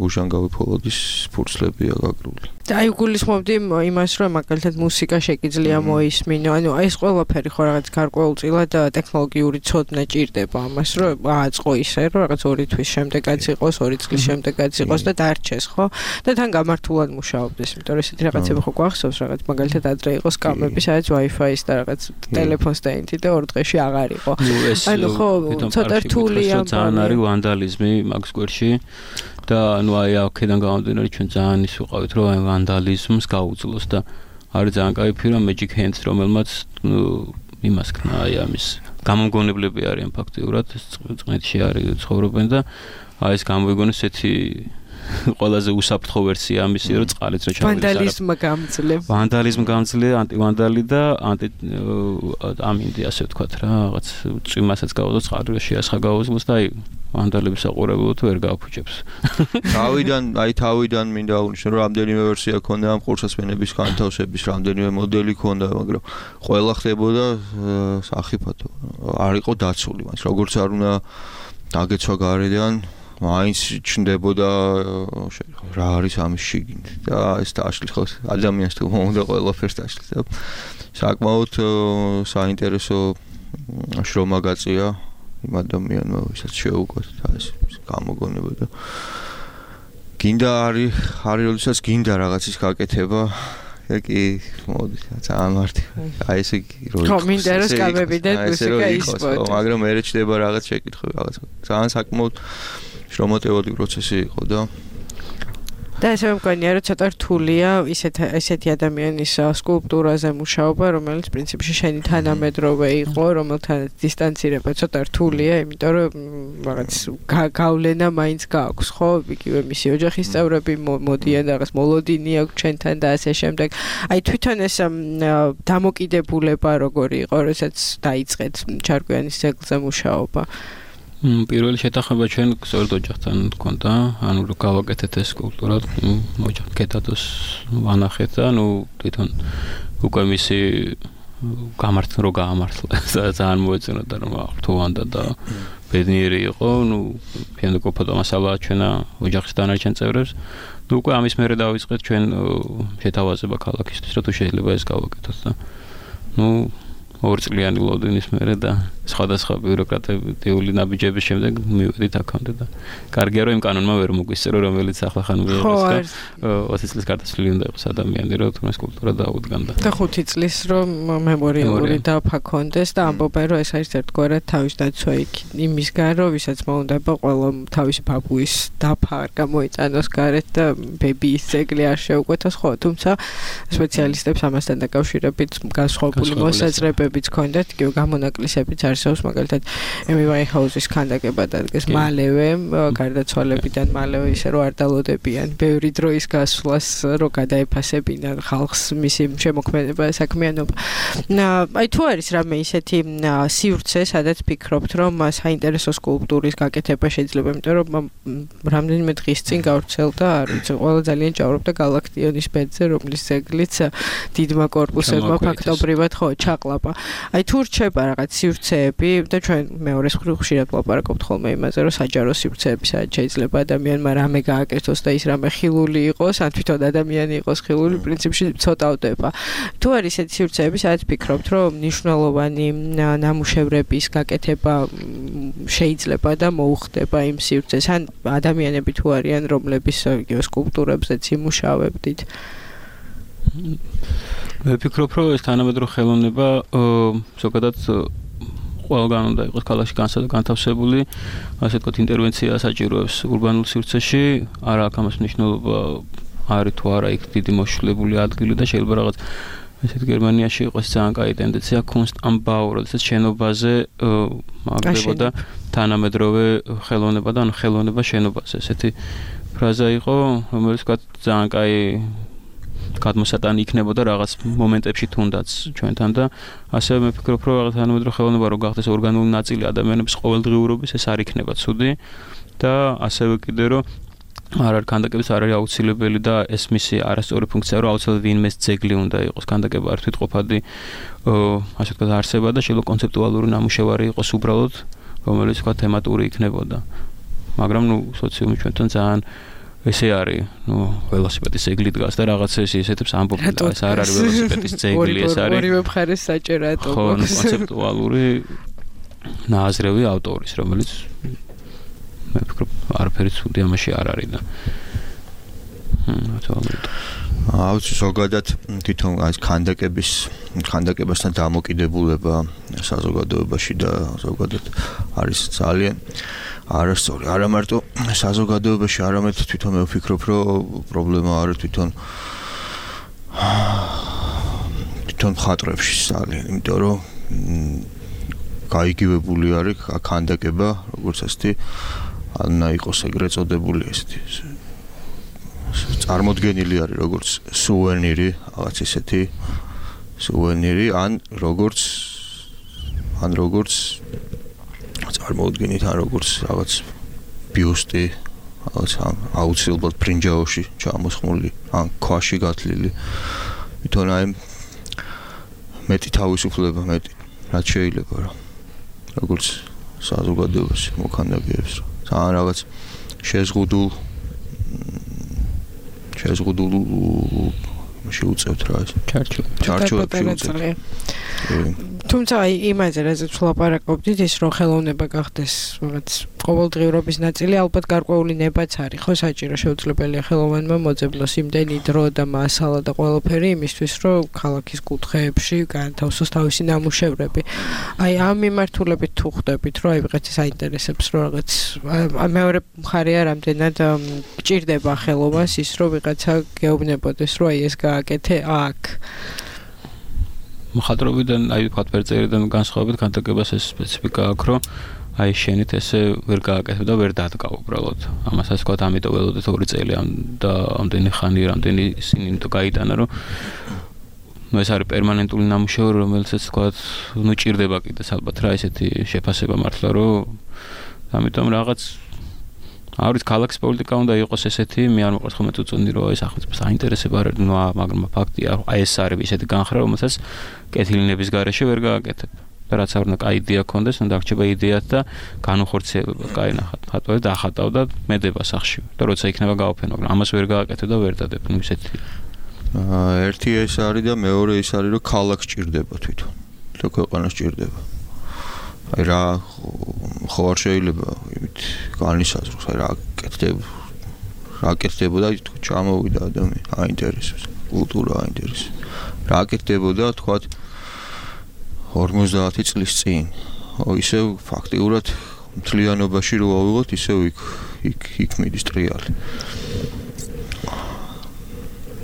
უჟანგავი ფოლადის ფურცლებია გაკრული. და აი გულისხმობდი იმას, რომ მაგალითად მუსიკა შეგიძლია მოისმინო, ანუ ეს ყველაფერი ხო რაღაც გარკვეულწილად ტექნოლოგიური ცოდნა ჭირდება ამას, რომ ააწყო ისე, რომ რაღაც ორი თვის შემდეგაც იყოს, ორი წლის შემდეგაც იყოს და დარჩეს, ხო? და თან გამართულად მუშაობდეს, იმიტომ რომ ესეთი რაღაცები ხო გვახსოვს, რაღაც მაგალითად ადრე იყო სკამები, სადაც Wi-Fi-ის და რაღაც ტელეფონს დაინთი და ორ დღეში აღარ იყო. ანუ ხო, ცოტა რთულია. ძალიან არის ვანდალიზმი მაგ სკვერში. და ნუ აი აქედან გამომდინარე ჩვენ ძალიან ის ვიყავით, რომ აი ვანდალიზმს გაუძლოს და არის ძალიან კაი ფირმა Magic Hands, რომელმაც ნუ იმას ქნა, აი ამის გამომგონებლები არიან ფაქტიურად, ეს წყნეთში არის ცხოვრობენ და აი ეს გამოიგონეს ესეთი ყველაზე უსაფრთხო ვერსია ამისი, რომ წყალიც რა ჩავიდეს. ვანდალიზმი გამძლე. ვანდალიზმი გამძლე, ანტივანდალი და ანტი ამინდი ასე ვთქვათ რა, რაღაც წვიმასაც გავოდო წყალი შეასხა გავოზმოს და აი ვანდალების საყურებლად ვერ გააფუჭებს. თავიდან, აი თავიდან მინდა აღნიშნო, რომ რამდენიმე ვერსია ქონდა ამ ყურსასმენების განთავსების, რამდენიმე მოდელი ქონდა, მაგრამ ყველა ხდებოდა სახიფათო. არ იყო დაცული, მას როგორც არ უნდა დაგეცვა გარედან, მაინც ჩნდებოდა რა არის ამის შიგნით და ეს დააშლის ხო ადამიანს თუ მომდა ყველაფერს დააშლის და საკმაოდ საინტერესო შრომა გაწია იმ ადამიანმა, ვისაც შეუკვეთ და ეს გამოგონება და გინდა არის არის როდესაც გინდა რაღაცის გაკეთება კი მოდი ძალიან მარტივ აი ესე რო ხო მინდა რომ სკამები და მუსიკა ისპოთ მაგრამ მე რჩდება რაღაც შეკითხები რაღაც ძალიან საკმაოდ შრომატევადი პროცესი იყო და და ესე მგონია რომ ცოტა რთულია ისეთ ესეთი ადამიანის სკულპტურაზე მუშაობა, რომელიც პრინციპში შენი თანამედროვე იყო, რომელთან დისტანცირება ცოტა რთულია, იმიტომ რომ რაღაც გავლენა მაინც გააქვს, ხო? იგივე მისი ოჯახის წევრები მოდიან რაღაც მოლოდინი აქვს ჩვენთან და ასე შემდეგ. აი თვითონ ეს დამოკიდებულება როგორი იყო, როდესაც დაიწყეთ ჩარკვიანის ძეგლზე მუშაობა? პირველი შეთანხმება ჩვენ სწორედ ოჯახთან გქონდა, ანუ რო გავაკეთეთ ეს სკულპტურა, ოჯახ კეთათოს ვანახეთ და ნუ თვითონ უკვე მისი გამართლა რო გაამართლა ძალიან მოეწონოდა რომ რთოვანდა და ბედნიერი იყო, ნუ ფინდა ყოფოდა მასალა ჩვენა ოჯახის დანარჩენ წევრებს. ნუ უკვე ამის მერე დავიწყეთ ჩვენ შეთავაზება ქალაქისთვის, რომ თუ შეიძლება ეს გავაკეთოთ და ნუ ორწლიანი ლოდინის მერე და სხვადასხვა ბიუროკრატიული ნაბიჯების შემდეგ მივედით აქამდე და კარგია რომ იმ კანონმა ვერ მოგვისწრო რომელიც ახლა ხან მიიღეს ოცი წლის გარდაცვლილი უნდა იყოს ადამიანი რომ თუნდაც კულტურა დაუდგანდა და ხუთი წლის რომ მემორიალური დაფაქონდეს და ამბობენ რომ ეს არის ერთგვარად თავის დაცვა იმისგან რომ ვისაც მოუნდება ყველა თავისი ბაბუის დაფა არ გამოიწანოს გარეთ და ბებიის ძეგლი არ შეუკვეთოს ხო თუმცა სპეციალისტებს ამასთან დაკავშირებით განსხვავებული მოსაზრებებიც ჰქონდათ კი გამონაკლისებიც არსებობს მაგალითად ემი ვაინჰაუზის ქანდაკება დადგეს მალევე გარდაცვალებიდან მალევე ისე რომ არ დალოდებიან ბევრი დროის გასვლას რომ გადაეფასებინან ხალხს მისი შემოქმედება საქმიანობა აი თუ არის რამე ისეთი სივრცე სადაც ფიქრობთ რომ საინტერესო სკულპტურის გაკეთება შეიძლება იმიტომ რომ რამდენიმე დღის წინ გავრცელდა არ ვიცი ყველა ძალიან ჭაურობდა გალაქტიონის ბედზე რომლის ძეგლიც დიდმა კორპუსებმა ფაქტობრივად ხო ჩაყლაპა აი თუ რჩება რაღაც სივრცეები და ჩვენ მეორეს მხრივ ხშირად ვლაპარაკობთ ხოლმე იმაზე რომ საჯარო სივრცეები სადაც შეიძლება ადამიანმა რამე გააკეთოს და ის რამე ხილული იყოს ან თვითონ ადამიანი იყოს ხილული პრინციპში ცოტავდება თუ არის ესეთი სივრცეები სადაც ფიქრობთ რომ მნიშვნელოვანი ნამუშევრების გაკეთება შეიძლება და მოუხდება იმ სივრცეს ან ადამიანები თუ არიან რომლების იგივე სკულპტურებზეც იმუშავებდით მე ფიქრობ რომ ეს თანამედროვე ხელოვნება ზოგადად ყველგან უნდა იყოს ქალაქში განთავსებული ასე ვთქვათ ინტერვენცია საჭიროებს ურბანულ სივრცეში არა აქვს ამას მნიშვნელობა არის თუ არა იქ დიდი მოშლებული ადგილი და შეიძლება რაღაც ესეთ გერმანიაში იყოს ძალიან კაი ტენდენცია kunst am Bau როდესაც შენობაზე მაგდებოდა თანამედროვე ხელოვნება და ანუ ხელოვნება შენობაზე ესეთი ფრაზა იყო რომელიც ვთქვათ ძალიან კაი გადმოსატანი იქნებოდა რაღაც მომენტებში თუნდაც ჩვენთან და ასევე მე ფიქრობ რომ რაღაც თანამედროვე ხელოვნება რო გახდეს ორგანული ნაწილი ადამიანების ყოველდღიურობის ეს არ იქნება ცუდი და ასევე კიდე რომ არ არის კანდაკების არ არის აუცილებელი და ეს მისი არასწორი ფუნქცია რომ აუცილებლად ვინმეს ძეგლი უნდა იყოს კანდაკება არ თვითყოფადი ასე ვთქვათ არსება და შეიძლება კონცეპტუალური ნამუშევარი იყოს უბრალოდ რომელიც ვთქვათ თემატური იქნებოდა მაგრამ ნუ სოციუმი ჩვენთან ძალიან ესე არის, ნუ ველოსიპედის ძეგლი დგას და რაღაცა ეს ისეთებს ამბობენ, ეს არ არის ველოსიპედის ძეგლი, ეს არის ორივე მხარეს საჭირო ატომი. ხო, კონცეპტუალური ნააზრევი ავტორის, რომელიც მე ვფიქრობ, არაფერი ცუდი ამაში არ არის და აუცი ზოგადად თვითონ ეს ქანდაკების ქანდაკებასთან დამოკიდებულება საზოგადოებაში და ზოგადად არის ძალიან არასწორი არა მარტო საზოგადოებაში არამედ თვითონ მე ვფიქრობ რომ პრობლემა არის თვითონ თვითონ მხატვრებში ძალიან იმიტომ რომ გაიგივებული არის ქანდაკება როგორც ასეთი ანა იყოს ეგრეთ წოდებული ესეთი წარმოდგენილი არის როგორც სუვენირი, რაღაც ისეთი სუვენირი, ან როგორც ან როგორც წარმოუდგენით ან როგორც რაღაც ბიუსტი, რაღაც აუცილებლად ბრინჯაოში ჩამოსხმული, ან ქვაში გათლილი. თვითონ აი მეტი თავისუფლება, მეტი რაც შეიძლება რა. როგორც საზოგადოებას მოქანდაკეებს, ძალიან რაღაც შეზღუდულ შეზღუდულ შეუწევთ რა ეს. ჩარჩო. ჩარჩო. თუმცა აი იმაზე რაზეც ვლაპარაკობდით, ის რომ ხელოვნება გახდეს რაღაც ყოველდღიურობის ნაწილი, ალბათ გარკვეული ნებაც არის, ხო, საჭირო შეუძლებელია ხელოვანმა მოძებნოს იმდენი დრო და მასალა და ყველაფერი იმისთვის, რომ ქალაქის კუთხეებში განთავსოს თავისი ნამუშევრები. აი ამ მიმართულებით თუ ხვდებით, რომ აი ვიღაცას აინტერესებს, რომ რაღაც მეორე მხარეა რამდენად გჭირდება ხელოვანს ის, რომ ვიღაცა გეუბნებოდეს, რომ აი ეს გააკეთე აქ. მხატვრობიდან, აი ვთქვათ, ფერწერიდან განსხვავებით განტაკებას ეს სპეციფიკა აქვს, რომ აი შენით ესე ვერ გააკეთებ და ვერ დადგა უბრალოდ. ამას ასე ვთქვათ, ამიტომ ველოდეთ ორი წელი და ამდენი ხანი, რამდენი ისინი თუ გაიტანა, რომ ნუ ეს არის პერმანენტული ნამუშევარი, რომელიც ასე ვთქვათ, ნუ ჭირდება კიდეს ალბათ რა ესეთი შეფასება მართლა, რომ ამიტომ რაღაც არის ქალაქის პოლიტიკა უნდა იყოს ესეთი, მე არ მოყვარს ხოლმე თუ წონდი რომ ეს სახელმწიფოს აინტერესება არ ნუ მაგრამ ფაქტია, აი ეს არის ესეთი განხრა, რომელსაც კეთილინების გარეშე ვერ გააკეთებ. და რაც არ უნდა კაი იდეა ქონდეს, უნდა რჩება იდეათ და განუხორციელება, კაი ნახат, ხატვა და ახატავ და მედება სახში. და როცა იქნება გავაფენო, მაგრამ ამას ვერ გააკეთებ და ვერ დადებ, ნუ ისეთი. აა ერთი ეს არის და მეორე ის არის, რომ ქალაქს ჭირდება თვითონ. და ქვეყანას ჭირდება. აი რა ხო არ შეიძლება იმით განისაზღვროს, აი რა კეთდება, რა კეთდებოდა თქო ჩამოვიდა ადამიანი, აინტერესებს, კულტურა აინტერესებს. რა კეთდებოდა თქვა ორმოცდაათი წლის წინ. ო ისევ ფაქტიურად მთლიანობაში რო ავიღოთ, ისევ იქ იქ იქ მიდის ტრიალი.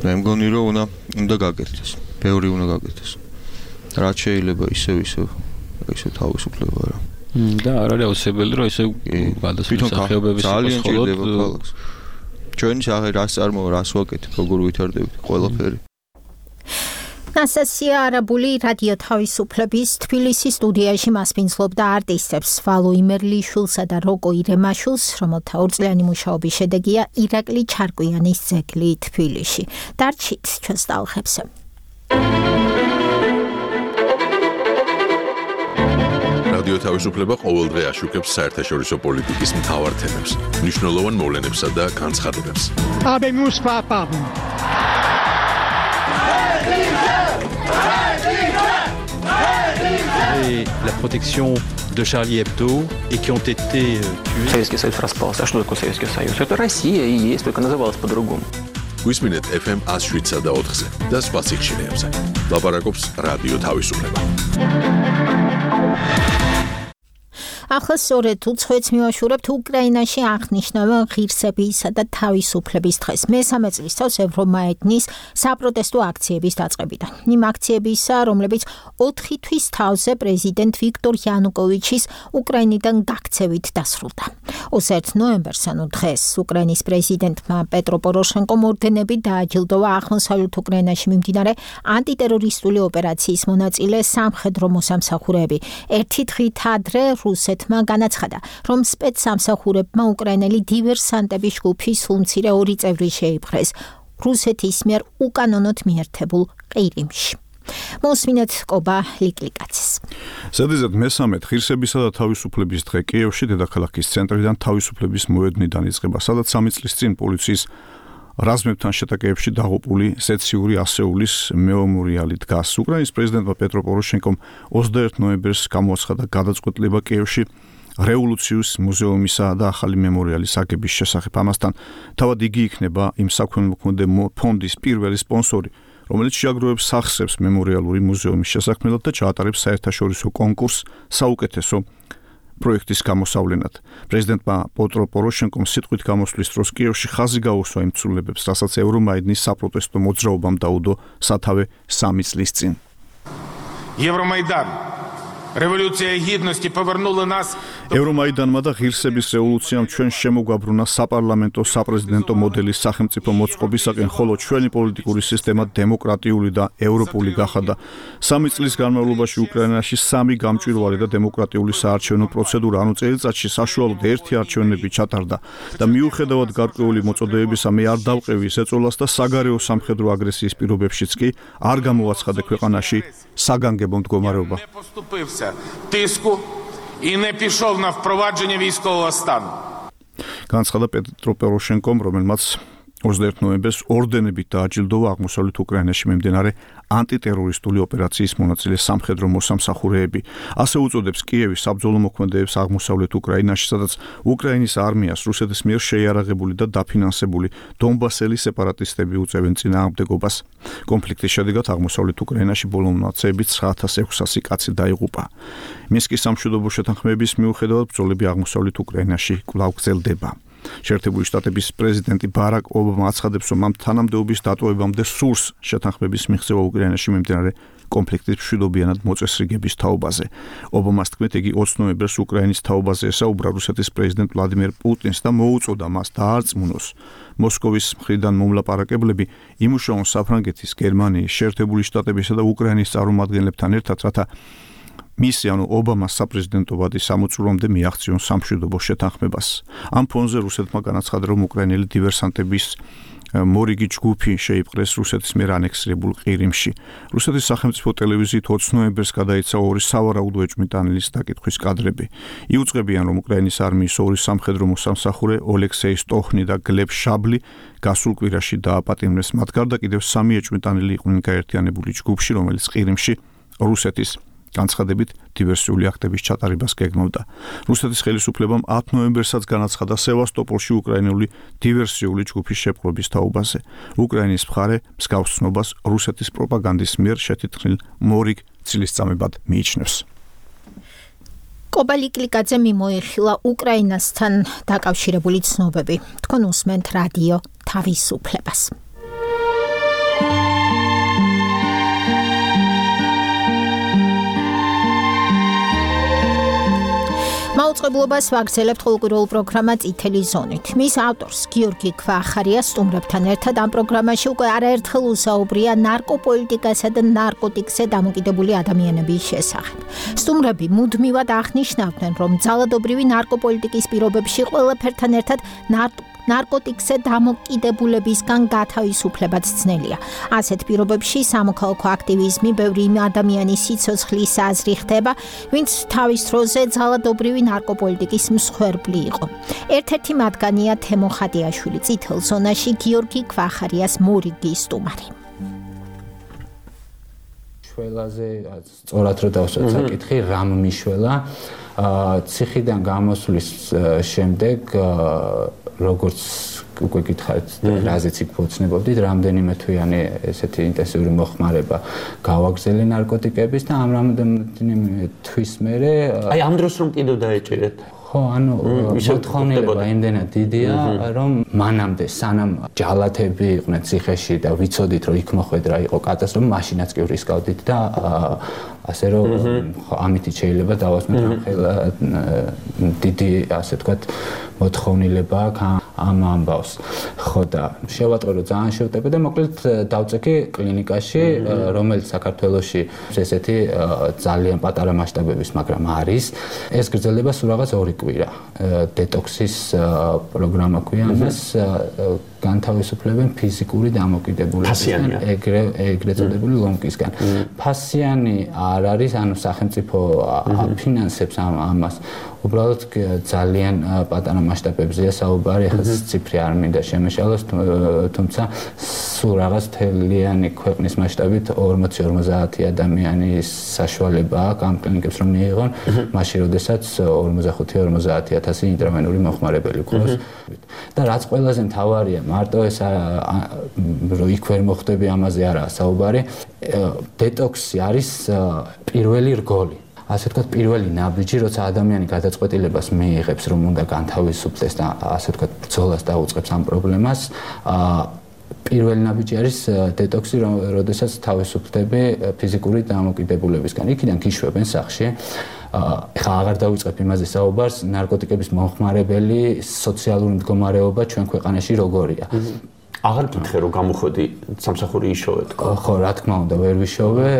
მე მგონი რომ უნდა უნდა გაკეთდეს, ბევრი უნდა გაკეთდეს. რაც შეიძლება ისევ ისევ ისე თავისუფლება რა. და არ არის აუცილებელი რომ ისე გადასვლის სახეობების ძალიან ჭირდება ქალაქს. ჩვენი სახე რას წარმოა, რას ვაკეთებ, როგორ ვითარდებით, ყველაფერი. ნასტასია არაბული რადიო თავისუფლების თბილისის სტუდიაში მასპინძლობდა არტისტებს ვალო იმერლიშვილსა და როკო ირემაშვილს, რომელთა ორწლიანი მუშაობის შედეგია ირაკლი ჩარკვიანის ძეგლი თბილისში. დარჩით ჩვენს ტალღებზე. რადიო თავისუფლება ყოველდღე აშუქებს საერთაშორისო პოლიტიკის მთავარ თემებს, მნიშვნელოვან მოვლენებსა და განცხადებებს. Habemos papa. Et la protection de Charlie Hebdo et qui ont été euh, tués. Советский Союз распался. А что такое Советский Союз? Это Россия и есть, только называлась по-другому. გვისმინეთ эф эм one oh seven და ოთხზე და სხვა სიხშირეებზე. ლაპარაკობს რადიო თავისუფლება. ახლა სწორედ უცხოეთს მივაშურებთ უკრაინაში აღნიშნავენ ღირსებისა და თავისუფლების დღეს. მესამე წლის თავს ევრომაიდნის საპროტესტო აქციების დაწყებიდან. იმ აქციებისა, რომლებიც ოთხი თვის თავზე პრეზიდენტ ვიქტორ იანუკოვიჩის უკრაინიდან გაქცევით დასრულდა. ოცდაერთი ნოემბერს, ანუ დღეს, უკრაინის პრეზიდენტმა პეტრო პოროშენკომ ორდენებით დააჯილდოვა აღმოსავლეთ უკრაინაში მიმდინარე ანტიტერორისტული ოპერაციის მონაწილე სამხედრო მოსამსახურეები. ერთი დღით ადრე რუსეთ განაცხადა, რომ სპეცსამსახურებმა უკრაინელი დივერსანტების ჯგუფის სულმცირე ორი წევრი შეიპყრეს რუსეთის მიერ უკანონოდ მიერთებულ ყირიმში. მოსმინეთ კობა ლიკლიკაცის. ზედიზედ მესამე ღირსებისა და თავისუფლების დღე კიევში დედაქალაქის ცენტრიდან თავისუფლების მოედნიდან იწყება, სადაც სამი წლის წინ პოლიციის რაზმებთან შეტაკებებში დაღუპული სეციური ასეულის მემორიალი დგას. უკრაინის პრეზიდენტმა პეტრო პოროშენკომ ოცდაერთი ნოემბერს გამოაცხადა გადაწყვეტილება კიევში რევოლუციის მუზეუმისა და ახალი მემორიალის აგების შესახებ. ამასთან თავად იგი იქნება იმ საქველმოქმედო ფონდის პირველი სპონსორი, რომელიც შეაგროვებს სახსრებს მემორიალური მუზეუმის შესაქმნელად და ჩაატარებს საერთაშორისო კონკურსს საუკეთესო პროექტის გამოსავლენად. პრეზიდენტმა პეტრო პოროშენკომ სიტყვით გამოსვლის დროს კიევში ხაზი გაუსვა იმ ცვლილებებს, რასაც ევრომაიდნის საპროტესტო მოძრაობამ დაუდო სათავე სამი წლის წინ. Евромайдан. Революция гідності повернула нас. ევრომაიდანმა და ღირსების რევოლუციამ ჩვენ შემოგვაბრუნა საპარლამენტო საპრეზიდენტო მოდელის სახელმწიფო მოწყობისაკენ, ხოლო ჩვენი პოლიტიკური სისტემა დემოკრატიული და ევროპული გახადა. სამი წლის განმავლობაში უკრაინაში სამი გამჭვირვალე და დემოკრატიული საარჩევნო პროცედურა, ანუ წელიწადში საშუალოდ ერთი არჩევნები ჩატარდა და მიუხედავად გარკვეული მოწოდებებისა მე არ დავყევი ეს ეწოლას და საგარეო სამხედრო აგრესიის პირობებშიც კი არ გამოაცხადე ქვეყანაში საგანგებო მდგომარეობა. І не пішов на впровадження військового стану. განცხადა პეტრո პოროშენკომ, რომელმაც ოცდაერთი ნოემბერს ორდენებით დააჯილდოვა აღმოსავლეთ უკრაინაში მიმდინარე ანტიტერორისტული ოპერაციის მონაწილე სამხედრო მოსამსახურეები. ასე უწოდებს კიევი საბრძოლო მოქმედებებს აღმოსავლეთ უკრაინაში, სადაც უკრაინის არმიას რუსეთის მიერ შეიარაღებული და დაფინანსებული დონბასელი სეპარატისტები უწევენ წინააღმდეგობას. კონფლიქტის შედეგად აღმოსავლეთ უკრაინაში ბოლო მონაცემებით ცხრა ათას ექვსასი კაცი დაიღუპა. მინსკის სამშვიდობო შეთანხმების მიუხედავად ბრძოლები აღმოსავლეთ უკრაინაში კვლავ გრძელდება. შეერთებული შტატების პრეზიდენტი ბარაკ ობამა აცხადებს, რომ ამ თანამდებობის დატოვებამდე სურს შეთანხმების მიღწევა უკრაინაში მიმდინარე კონფლიქტის მშვიდობიანად მოწესრიგების თაობაზე. ობამას თქმით, იგი ოცი ნოემბერს უკრაინის თაობაზე ესაუბრა რუსეთის პრეზიდენტ ვლადიმერ პუტინს და მოუწოდა მას დაარწმუნოს მოსკოვის მხრიდან მომლაპარაკებლები იმუშაონ საფრანგეთის, გერმანიის, შეერთებული შტატებისა და უკრაინის წარმომადგენლებთან ერთად, რათა მისი, ანუ ობამას საპრეზიდენტო ვადის სამოწურვამდე მიაღწიონ სამშვიდობო შეთანხმებას. ამ ფონზე რუსეთმა განაცხადა, რომ უკრაინელი დივერსანტების მორიგი ჯგუფი შეიპყრეს რუსეთის მიერ ანექსირებულ ყირიმში. რუსეთის სახელმწიფო ტელევიზიით ოცი ნოემბერს გადაიცა ორი სავარაუდო ეჭვმიტანილის დაკითხვის კადრები. იუწყებიან, რომ უკრაინის არმიის ორი სამხედრო მოსამსახურე ოლექსეი სტოხნი და გლებ შაბლი გასულ კვირაში დააპატიმრეს. მათ გარდა კიდევ სამი ეჭვმიტანილი იყვნენ გაერთიანებული ჯგუფში, რომელიც ყირიმში რუსეთის განცხადებით დივერსიული აქტების ჩატარებას გეგმავდა. რუსეთის ხელისუფლებამ ათი ნოემბერსაც განაცხადა სევასტოპოლში უკრაინული დივერსიული ჯგუფის შეპყრობის თაობაზე. უკრაინის მხარე მსგავს ცნობას რუსეთის პროპაგანდის მიერ შეთითქმულ მორიგ ცილისწამებად მიიჩნევს. კობალიკლიკაძე მიმოიხილა უკრაინასთან დაკავშირებული ცნობები. თქვენ უსმენთ რადიო თავისუფლებას. მაუწყებლობას ვაგრძელებთ ყოველკვირეულ პროგრამა წითელი ზონით. მის ავტორს გიორგი ქვახარია სტუმრებთან ერთად ამ პროგრამაში უკვე არაერთხელ უსაუბრია ნარკოპოლიტიკასა და ნარკოტიკზე დამოკიდებული ადამიანების შესახებ. სტუმრები მუდმივად აღნიშნავდნენ, რომ ძალადობრივი ნარკოპოლიტიკის პირობებში ყველაფერთან ერთად ნარკოტიკზე დამოკიდებულებისგან გათავისუფლებაც ძნელია. ასეთ პირობებში სამოქალაქო აქტივიზმი ბევრი ადამიანის სიცოცხლის აზრი ხდება, ვინც თავის დროზე ძალადობრივი ნარკოპოლიტიკის მსხვერპლი იყო. ერთ-ერთი მათგანია თემო ხადიაშვილი, წითელ ზონაში გიორგი ქვახარიას მორიგი სტუმარი. შველაზე სწორად რო დავსვათ საკითხი, რამ მიშველა ციხიდან გამოსვლის შემდეგ როგორც უკვე გითხარით, რაზეც იქ ფოცნებობდით, რამდენიმე თვიანი ესეთი ინტენსიური მოხმარება გავაგრძელე ნარკოტიკების და ამ რამდენიმე თვის მერე აი ამ დროს რომ კიდევ დაეჭერეთ. ხო, ანუ მოთხოვნილება იმდენად დიდია, რომ მანამდე სანამ ჯალათები იყვნენ ციხეში და ვიცოდით, რომ იქ მოხვედრა იყო კატასტროფა, მაშინაც კი რისკავდით და ასე რომ ამით შეიძლება დავასმოთ ხელა დიდი, ასე ვთქვათ, მოთხოვნილება ამ ამბავს. ხო და შევატყო რომ ძალიან შევტები და მოკლედ დავწეკი კლინიკაში, რომელიც საქართველოში ესეთი ძალიან პატარა მასშტაბების, მაგრამ არის. ეს გრძელდება სულ რაღაც ორი კვირა. დეტოქსის პროგრამა ქვია ამას, განთავისუფლებენ ფიზიკური დამოკიდებულებისგან, ეგრე ეგრეთ წოდებული ლომკისგან. ფასიანი არ არის, ანუ სახელმწიფო აფინანსებს ამას. უბრალოდ ძალიან პატარა მასშტაბებზეა საუბარი, ახლა ციფრი არ მინდა შემეშალოს, თუმცა სულ რაღაც თელიანი ქვეყნის მასშტაბით ორმოცი ორმოცდაათი ადამიანის საშუალება აქვს ამ კლინიკებს რომ მიიღონ, მაშინ როდესაც ორმოცდახუთი ორმოცდაათი ათასი ინტრავენური მოხმარებელი გვყავს. და რაც ყველაზე მთავარია, მარტო ეს რომ იქ ვერ მოხდები ამაზე არაა საუბარი, დეტოქსი არის პირველი რგოლი. ასე ვთქვათ, პირველი ნაბიჯი, როცა ადამიანი გადაწყვეტილებას მიიღებს, რომ უნდა განთავისუფლდეს და ასე ვთქვათ, ბრძოლას დაუწყებს ამ პრობლემას, პირველი ნაბიჯი არის დეტოქსი, როდესაც თავისუფლდები ფიზიკური დამოკიდებულებისგან. იქიდან გიშვებენ სახში. ეხლა აღარ დავიწყებ იმაზე საუბარს, ნარკოტიკების მომხმარებელი სოციალური მდგომარეობა ჩვენ ქვეყანაში როგორია. აღარ გითხე რომ გამოხოდი სამსახური იშოვე თქო. ხო, რა თქმა უნდა, ვერ ვიშოვე,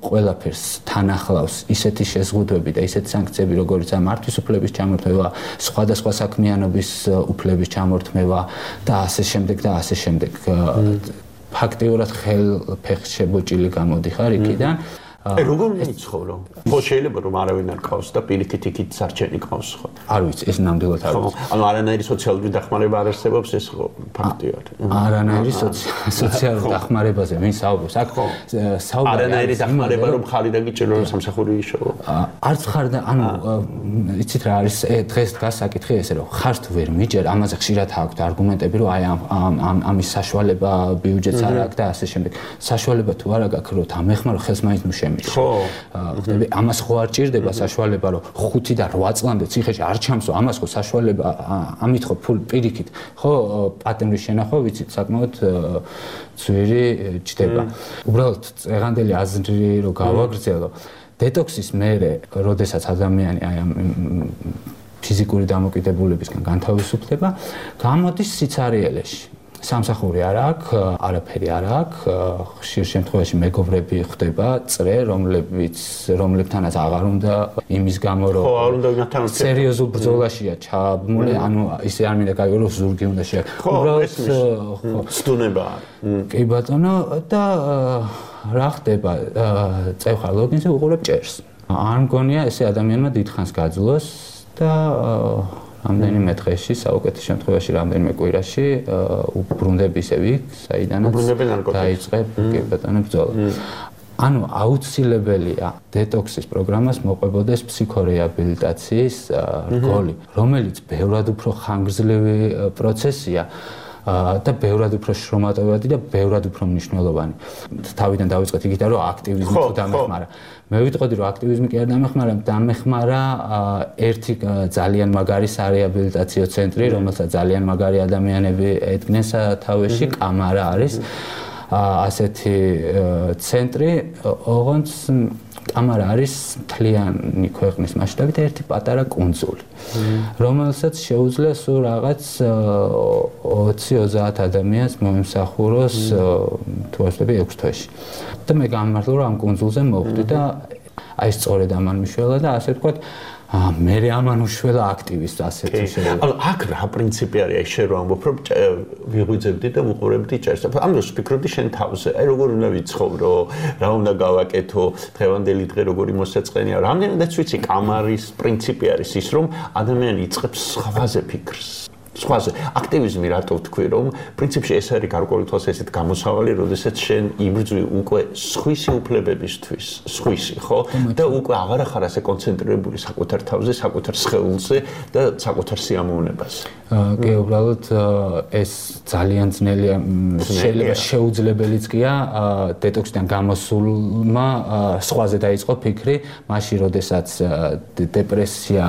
ყველაფერს თან ახლავს ისეთი შეზღუდვები და ისეთი სანქციები, როგორიც ამ მართვის უფლების ჩამორთმევა, სხვადასხვა საქმიანობის უფლების ჩამორთმევა და ასე შემდეგ და ასე შემდეგ. ფაქტიურად ხელფეხს შებოჭილი გამოდიხარ იქიდან. აი როგორ მიცხოვრო? ხო შეიძლება რომ არავინ არ ყავს და პირიქით იქით სარჩენი ყავს ხო? არ ვიცი, ეს ნამდვილად არ ვიცი. ანუ არანაირი სოციალური დახმარება არ არსებობს ეს ხო ფაქტია. არანაირი სოციალური დახმარებაზე ვინ საუბრობს? აქ საუბარი არანაირი დახმარება რომ ხარი დაგიჭირო რომ სამსახური იშოვო. არც ხარ და ანუ იცით რა არის დღეს დგას საკითხი ესე რომ ხარ თუ ვერ მიჯერ, ამაზე ხშირად აქვთ არგუმენტები რომ აი ამ ამის საშუალება ბიუჯეტს არ აქვს და ასე შემდეგ. საშუალება თუ არა გაქვს რომ ამეხმარო ხელს მაინც ნუ ხო, ხდები, ამას ხო არ ჭირდება საშუალება, რომ ხუთი და რვა წლამდე ციხეში არ ჩამსო, ამას ხო საშუალება, ამით ხო პირიქით, ხო, პატემრის შენახვა, ვიცით, საკმაოდ ძვირი ჯდება. უბრალოდ წეღანდელი აზრი რო გავაგრძელო, დეტოქსის მერე, როდესაც ადამიანი აი ამ ფიზიკური დამოკიდებულებისგან განთავისუფლდება, გამოდის სიცარიელეში. სამსახური არ აქვს, არაფერი არ აქვს, ხშირ შემთხვევაში მეგობრები ხდება, წრე, რომლებიც რომლებთანაც აღარ უნდა იმის გამო რომ ხო, არ უნდა ვინათან სერიოზულ ბრძოლაშია ჩაბმული, ანუ ისე არ მინდა გაიგო რომ ზურგი უნდა შეაქ. უბრალოდ ხო, სტუნება. კი ბატონო და რა ხდება? წევხარ ლოგინზე უყურებ ჭერს. არ მგონია ესე ადამიანმა დიდხანს გაძლოს და რამდენიმე დღეში, საუკეთესო შემთხვევაში რამდენიმე კვირაში უბრუნდები ისევ იქ, საიდანაც დაიწყებ კი ბატონო ბრძოლა. ანუ აუცილებელია დეტოქსის პროგრამას მოყვებოდეს ფსიქორეაბილიტაციის რგოლი, რომელიც ბევრად უფრო ხანგრძლივი პროცესია და ბევრად უფრო შრომატევადი და ბევრად უფრო მნიშვნელოვანი. თავიდან დავიწყეთ იქიდან რომ აქტივიზმი თუ დამეხმარა. მე ვიტყოდი რომ აქტივიზმი კი არ დამეხმარა, დამეხმარა ერთი ძალიან მაგარი სარეაბილიტაციო ცენტრი, რომელსაც ძალიან მაგარი ადამიანები ედგნენ სათავეში, კამარა არის ასეთი ცენტრი, ოღონდ კამარა არის მთლიანი ქვეყნის მასშტაბით ერთი პატარა კუნძული, რომელსაც შეუძლია სულ რაღაც ოცი ოცდაათ ადამიანს მომსახუროს თუ ასწრები ექვს თვეში. და მე გამმართლა რომ ამ კუნძულზე მოვხვდი და აი სწორედ ამან მიშველა და ასე ვთქვათ მე ამან უშველა აქტივისტ ასეთი შეიძლება. ანუ აქ რა პრინციპი არის, აი შენ რო ამბობ რომ ვიღვიძებდი და ვუყურებდი ჭერს. ამ დროს ვფიქრობდი შენ თავზე, აი როგორ უნდა ვიცხოვრო, რა უნდა გავაკეთო, დღევანდელი დღე როგორი მოსაწყენია. რამდენადაც ვიცი, კამარის პრინციპი არის ის, რომ ადამიანი იწყებს სხვაზე ფიქრს. სხვაზე აქტივიზმი რატო ვთქვი რომ პრინციპში ეს არის გარკვეული თვალსაზრისით გამოსავალი, როდესაც შენ იბრძვი უკვე სხვისი უფლებებისთვის, სხვისი, ხო? და უკვე აღარ ახარ ასე კონცენტრირებული საკუთარ თავზე, საკუთარ სხეულზე და საკუთარ სიამოვნებაზე. კი, უბრალოდ ეს ძალიან ძნელია, შეიძლება შეუძლებელიც კია დეტოქსიდან გამოსულმა სხვაზე დაიწყო ფიქრი, მაშინ როდესაც დეპრესია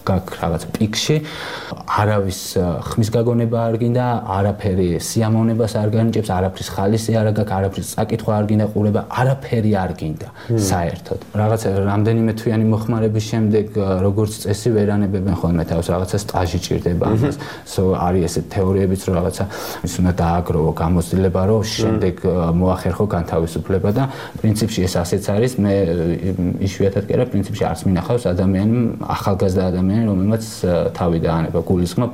გაქვს რაღაც პიკში, არავის ხმის გაგონება არ გინდა, არაფერი სიამოვნებას არ განიჭებს, არაფრის ხალისი არ გაქვს, არაფრის საკითხვა არ გინდა ყურება, არაფერი არ გინდა საერთოდ. რაღაც რამდენიმე თვიანი მოხმარების შემდეგ როგორც წესი ვერანებებენ ხოლმე თავს, რაღაცა სტაჟი ჭირდება ამას. სო არის ესეთ თეორიებიც რომ რაღაცა ის უნდა დააგროვო გამოცდილება, რომ შემდეგ მოახერხო განთავისუფლება და პრინციპში ეს ასეც არის. მე იშვიათად კი არა, პრინციპში არც მინახავს ადამიანი ახალგაზრდა ადამიანი რომელმაც თავი დაანება, გულისხმობ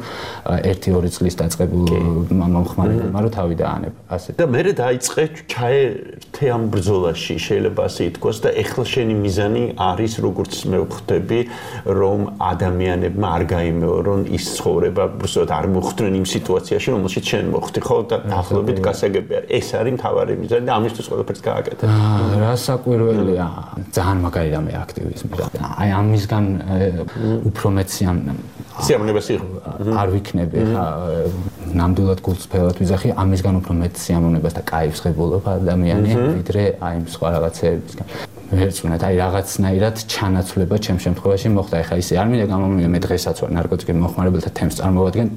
ერთი ორი წლის დაწყებულ მომხმარებელმა რომ თავი დაანება, ასე. და მე დაიწყე ჩაერთე ამ ბრძოლაში, შეიძლება ასე ითქვას და ეხლა შენი მიზანი არის, როგორც მე ვხვდები, რომ ადამიანებმა არ გაიმეორონ ის ცხოვრება, უბრალოდ არ მოხვდნენ იმ სიტუაციაში, რომელშიც შენ მოხვდი, ხო? და დაახლოებით გასაგები არის. ეს არის მთავარი მიზანი და ამისთვის ყველაფერს გააკეთე. რა საკვირველია, ძალიან მაგარი რამე აქტივიზმი რა. აი ამისგან უფრო მეციან სიამოვნებას არ ვიქნები ხა ნამდვილად გულწრფელად ვიზახი ამისგან უფრო მეტ სიამოვნებას და кайფს ღებულობა ადამიანი ვიდრე აი სხვა რაღაცეებისგან ვერწმუნდ აი რაღაცნაირად ჩანაცვლება ჩემ შემთხვევაში მოხდა ეხა ისე არ მინდა გამომივიდე მე დღესაც ვარ ნარკოტიკების მოხმარებელთა თემს წარმოვადგენ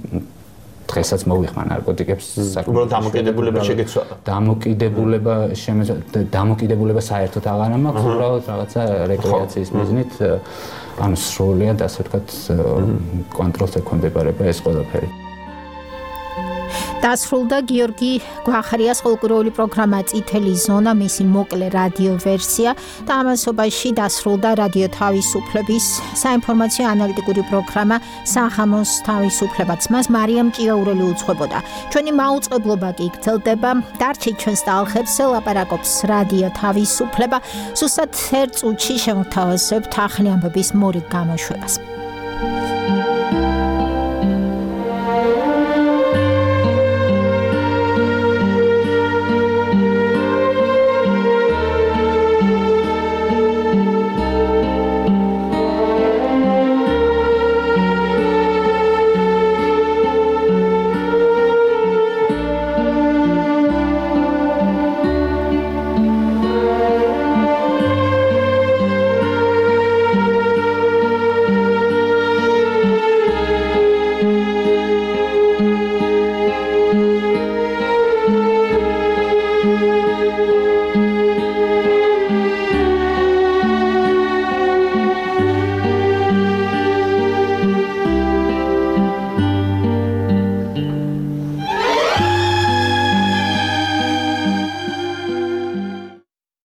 დღესაც მოვიხმარ ნარკოტიკებს უბრალოდ დამოკიდებულება შეგეცვალა დამოკიდებულება დამოკიდებულება საერთოდ აღარ მაქვს უბრალოდ რაღაცა რეკრეაციის მიზნით ანუ სრულიად ასე ვთქვათ კონტროლს ექვემდებარება ეს ყველაფერი დასრულდა გიორგი გვახარიას ყოლკურეული პროგრამა წითელი ზონა მისი მოკლე რადიო ვერსია და ამასობაში დასრულდა რადიო თავისუფლების საინფორმაციო ანალიტიკური პროგრამა სახამოს თავისუფლებაც მას მარიამ ჭიაურელი უძღვებოდა ჩვენი მაუწყებლობა კი გრძელდება დარჩით ჩვენს ტალღებს ელაპარაკობს რადიო თავისუფლება სუსტად ერთ წუთში შემოთავაზებთ ახალი ამბების მორიგ გამოშვებას